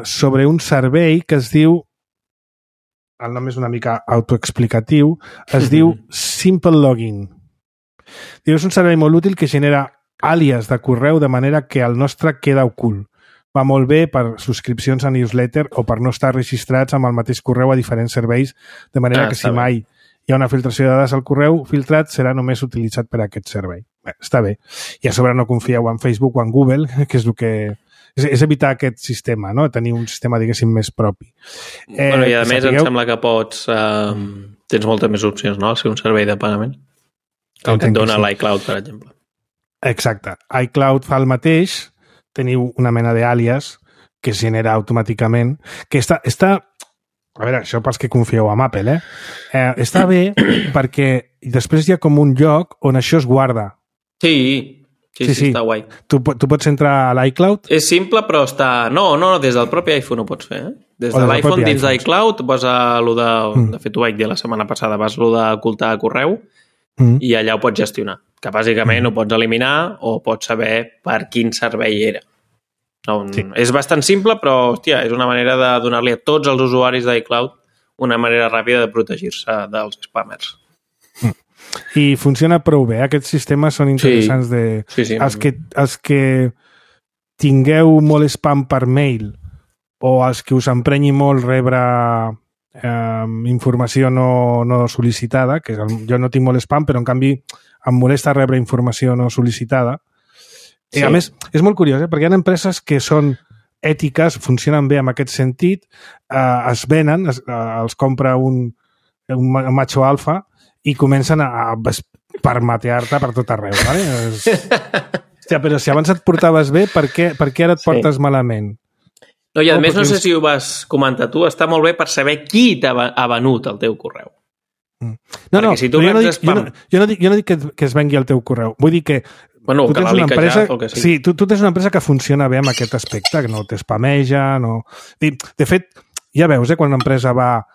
sobre un servei que es diu, el nom és una mica autoexplicatiu, es diu Simple Login. És un servei molt útil que genera àlies de correu de manera que el nostre queda ocult. Va molt bé per subscripcions a newsletter o per no estar registrats amb el mateix correu a diferents serveis, de manera que si mai hi ha una filtració de dades al correu filtrat, serà només utilitzat per aquest servei. Bé, està bé. I a sobre no confieu en Facebook o en Google, que és el que... És evitar aquest sistema, no? Tenir un sistema, diguéssim, més propi. I a més em sembla que pots... tens moltes més opcions, no? Al ser un servei de pagament. El que et dona l'iCloud, per exemple. Exacte. iCloud fa el mateix, teniu una mena d'àlies que es genera automàticament, que està... A veure, això pels que confieu en Apple, està bé perquè després hi ha com un lloc on això es guarda. Sí, està guai. Tu pots entrar a l'iCloud? És simple, però està... No, des del propi iPhone ho pots fer, Des de l'iPhone dins d'iCloud vas a allò de... De fet, ho vaig dir la setmana passada, vas a allò d'ocultar correu i allà ho pots gestionar. Que bàsicament ho pots eliminar o pots saber per quin servei era. És bastant simple, però, hòstia, és una manera de donar-li a tots els usuaris d'iCloud una manera ràpida de protegir-se dels spammers. I funciona prou bé. Aquests sistemes són interessants de... Els que tingueu molt spam per mail o els que us emprenyi molt rebre informació no sol·licitada, que jo no tinc molt spam, però en canvi em molesta rebre informació no sol·licitada. I a més, és molt curiós, perquè hi ha empreses que són ètiques, funcionen bé en aquest sentit, es venen, els compra un macho alfa i comencen a permatear-te per tot arreu. Vale? Hòstia, però si abans et portaves bé, per què ara et portes malament? No, i a més, no sé si ho vas comentar tu, està molt bé per saber qui ha venut el teu correu. No, si tu jo no dic que es vengui el teu correu. Vull dir que tu tens una empresa, sí, tu tens una empresa que funciona bé amb aquest aspecte, que no t'espameja, no... De fet, ja veus, quan una empresa va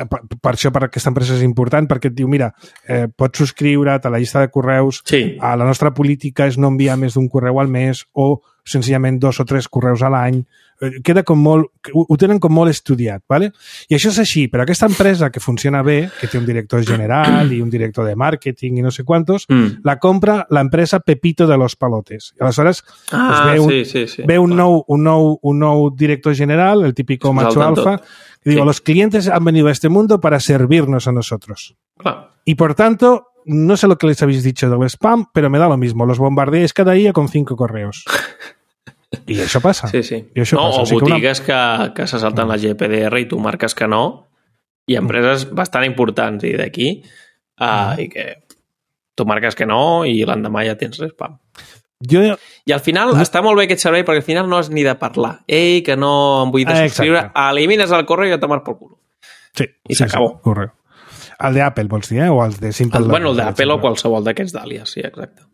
per això per aquesta empresa és important, perquè et diu, mira, pots subscriure't a la llista de correus, a la nostra política és no enviar més d'un correu al mes o senzillament 2 o 3 correus a l'any. Queda com molt... Ho tenen com molt estudiat, ¿vale? I això és així, però aquesta empresa que funciona bé, que té un director general i un director de màrqueting i no sé quantos, la compra l'empresa Pepito de los Palotes. I aleshores ve un nou director general, el típico macho alfa, que digo, los clientes han venido a este mundo para servirnos a nosotros. Y por tanto, no sé lo que les habéis dicho del spam, pero me da lo mismo. Los bombardeáis cada día con 5 correos. I això passa. Sí. O botigues que se salten la GPDR i tu marques que no, i empreses bastant importants i d'aquí, i que tu marques que no i l'endemà ja tens spam. I al final està molt bé aquest servei perquè al final no has ni de parlar. Ei, que no em vull subscriure. Elimines el correu i ja tomar per cul. Sí. I s'acabó. Correcte. El d'Apple, vols dir, o els de Simple? Bueno, el d'Apple o qualsevol d'aquests d'àlies, sí, exacte.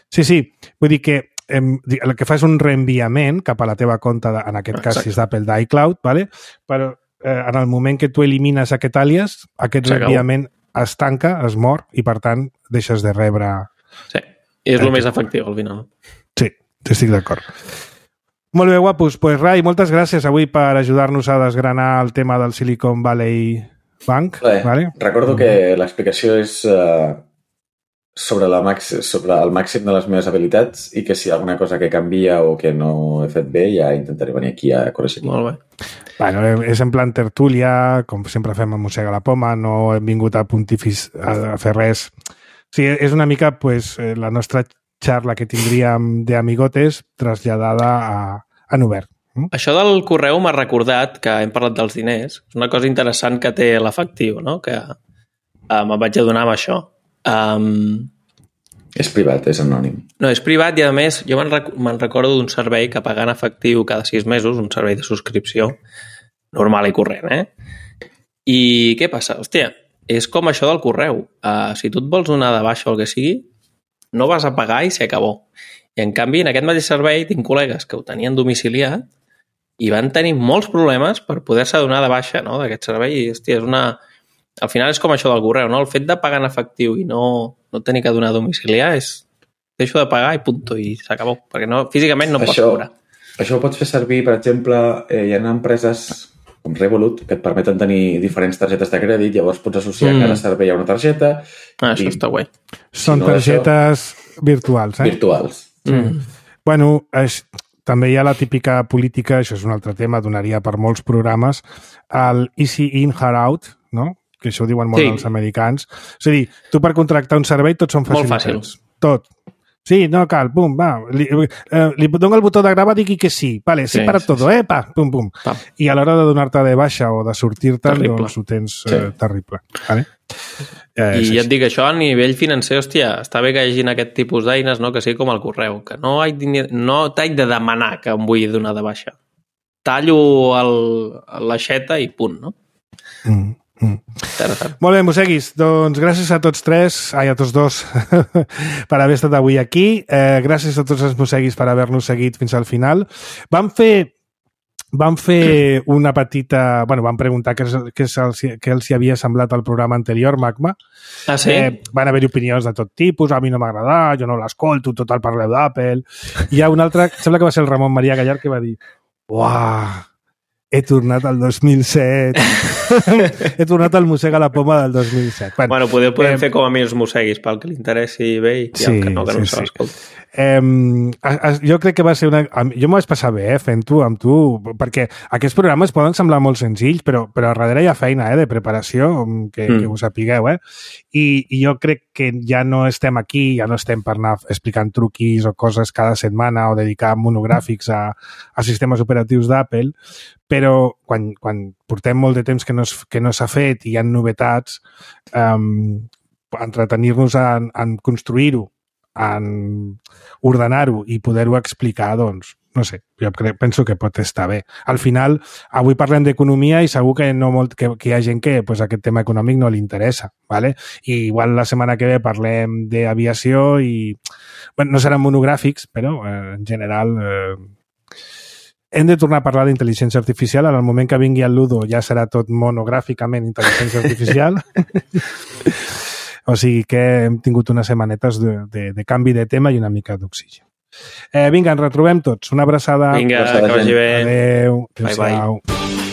Sí. Vull dir que el que fa és un reenviament cap a la teva compte, en aquest cas, si és d'Apple, d'iCloud, ¿vale? Però en el moment que tu elimines aquest àlies, aquest reenviament es tanca, es mor, i per tant deixes de rebre... Sí. És el més efectiu, al final. Sí, estic d'acord. Molt bé, guapos. Pues, Rai, moltes gràcies avui per ajudar-nos a desgranar el tema del Silicon Valley Bank. Vale? Recordo que l'explicació és sobre el màxim de les meves habilitats i que si hi ha alguna cosa que canvia o que no he fet bé ja intentaré venir aquí a corregir. Molt bé. Bueno, és en plan tertúlia, com sempre fem a Mossega la Poma, no hem vingut a a fer res... Sí, és una mica pues, la nostra xarra que tindríem d'amigotes traslladada en obert. Això del correu m'ha recordat que hem parlat dels diners. És una cosa interessant que té l'efectiu, no? Que me'n vaig adonar amb això. És privat, és anònim. No, és privat i a més jo me'n recordo d'un servei que pagant efectiu cada 6 mesos, un servei de subscripció normal i corrent, I què passa? Hòstia, és com això del correu. Si tu et vols donar de baixa o el que sigui, no vas a pagar i s'acabó. I en canvi, en aquest mateix servei tinc col·legues que ho tenien domiciliat i van tenir molts problemes per poder-se donar de baixa, no?, d'aquest servei. I, hòstia, és una... Al final és com això del correu, no? El fet de pagar en efectiu i no tenir que donar a domiciliar és... Deixo de pagar i punto, i s'acabó. Perquè físicament no pots cobrar. Això ho pots fer servir, per exemple, hi ha empreses... com Revolut, que et permeten tenir diferents targetes de crèdit, llavors pots associar cada servei a una targeta. Això està guai. Són targetes virtuals, Virtuals. Bueno, també hi ha la típica política, això és un altre tema, donaria per molts programes, el Easy In, Hard Out, no? Que això ho diuen molt els americans. És a dir, tu per contractar un servei tots són fàcils. Molt fàcils. Tot. Sí, no cal, pum, va. Li dono el botó de gravar, digui que sí. Vale, sí para todo, pa, pum, pum. I a l'hora de donar-te de baixa o de sortir-te'n, doncs ho tens terrible. Vale? I ja et dic, això a nivell financer, hòstia, està bé que hi hagi aquest tipus d'eines, no?, que sigui com el correu, que no t'haig de demanar que em vull donar de baixa. Tallo l'aixeta i punt, no? Molt bé, Mosseguis, doncs gràcies a tots a tots dos per haver estat avui aquí, gràcies a tots els Mosseguis per haver-nos seguit fins al final. Vam fer una petita... Bueno, vam preguntar què els hi havia semblat el programa anterior, Magma. Ah, sí? Van haver-hi opinions de tot tipus, a mi no m'ha agradat, jo no l'escolto, total parleu d'Apple. Hi ha un altre, sembla que va ser el Ramon Maria Gallar, que va dir: uah, he tornat al 2007. He tornat al Mossega la Poma del 2007. Bueno, podem fer com a mi els mosseguis, pel que li interessi bé i que no se l'escolti. Jo crec que va ser una... Jo m'ho vaig passar bé fent-ho amb tu, perquè aquests programes poden semblar molt senzills, però a darrere hi ha feina de preparació, que ho sapigueu. I jo crec que ja no estem aquí, ja no estem per anar explicant truquis o coses cada setmana o dedicar monogràfics a sistemes operatius d'Apple, però quan portem molt de temps que no s'ha fet i hi ha novetats, entretenir-nos en construir-ho, en ordenar-ho i poder-ho explicar, doncs, no sé, jo penso que pot estar bé. Al final, avui parlem d'economia i segur que hi ha gent que aquest tema econòmic no li interessa, ¿vale? I igual la setmana que ve parlem d'aviació i... Bueno, no seran monogràfics, però en general hem de tornar a parlar d'intel·ligència artificial. En el moment que vingui el Ludo ja serà tot monogràficament intel·ligència artificial. O sigui que hem tingut unes setmanetes de canvi de tema i una mica d'oxigen. Vinga, ens retrobem tots. Una abraçada. Vinga, que vagi bé. Adéu. Bye, bye.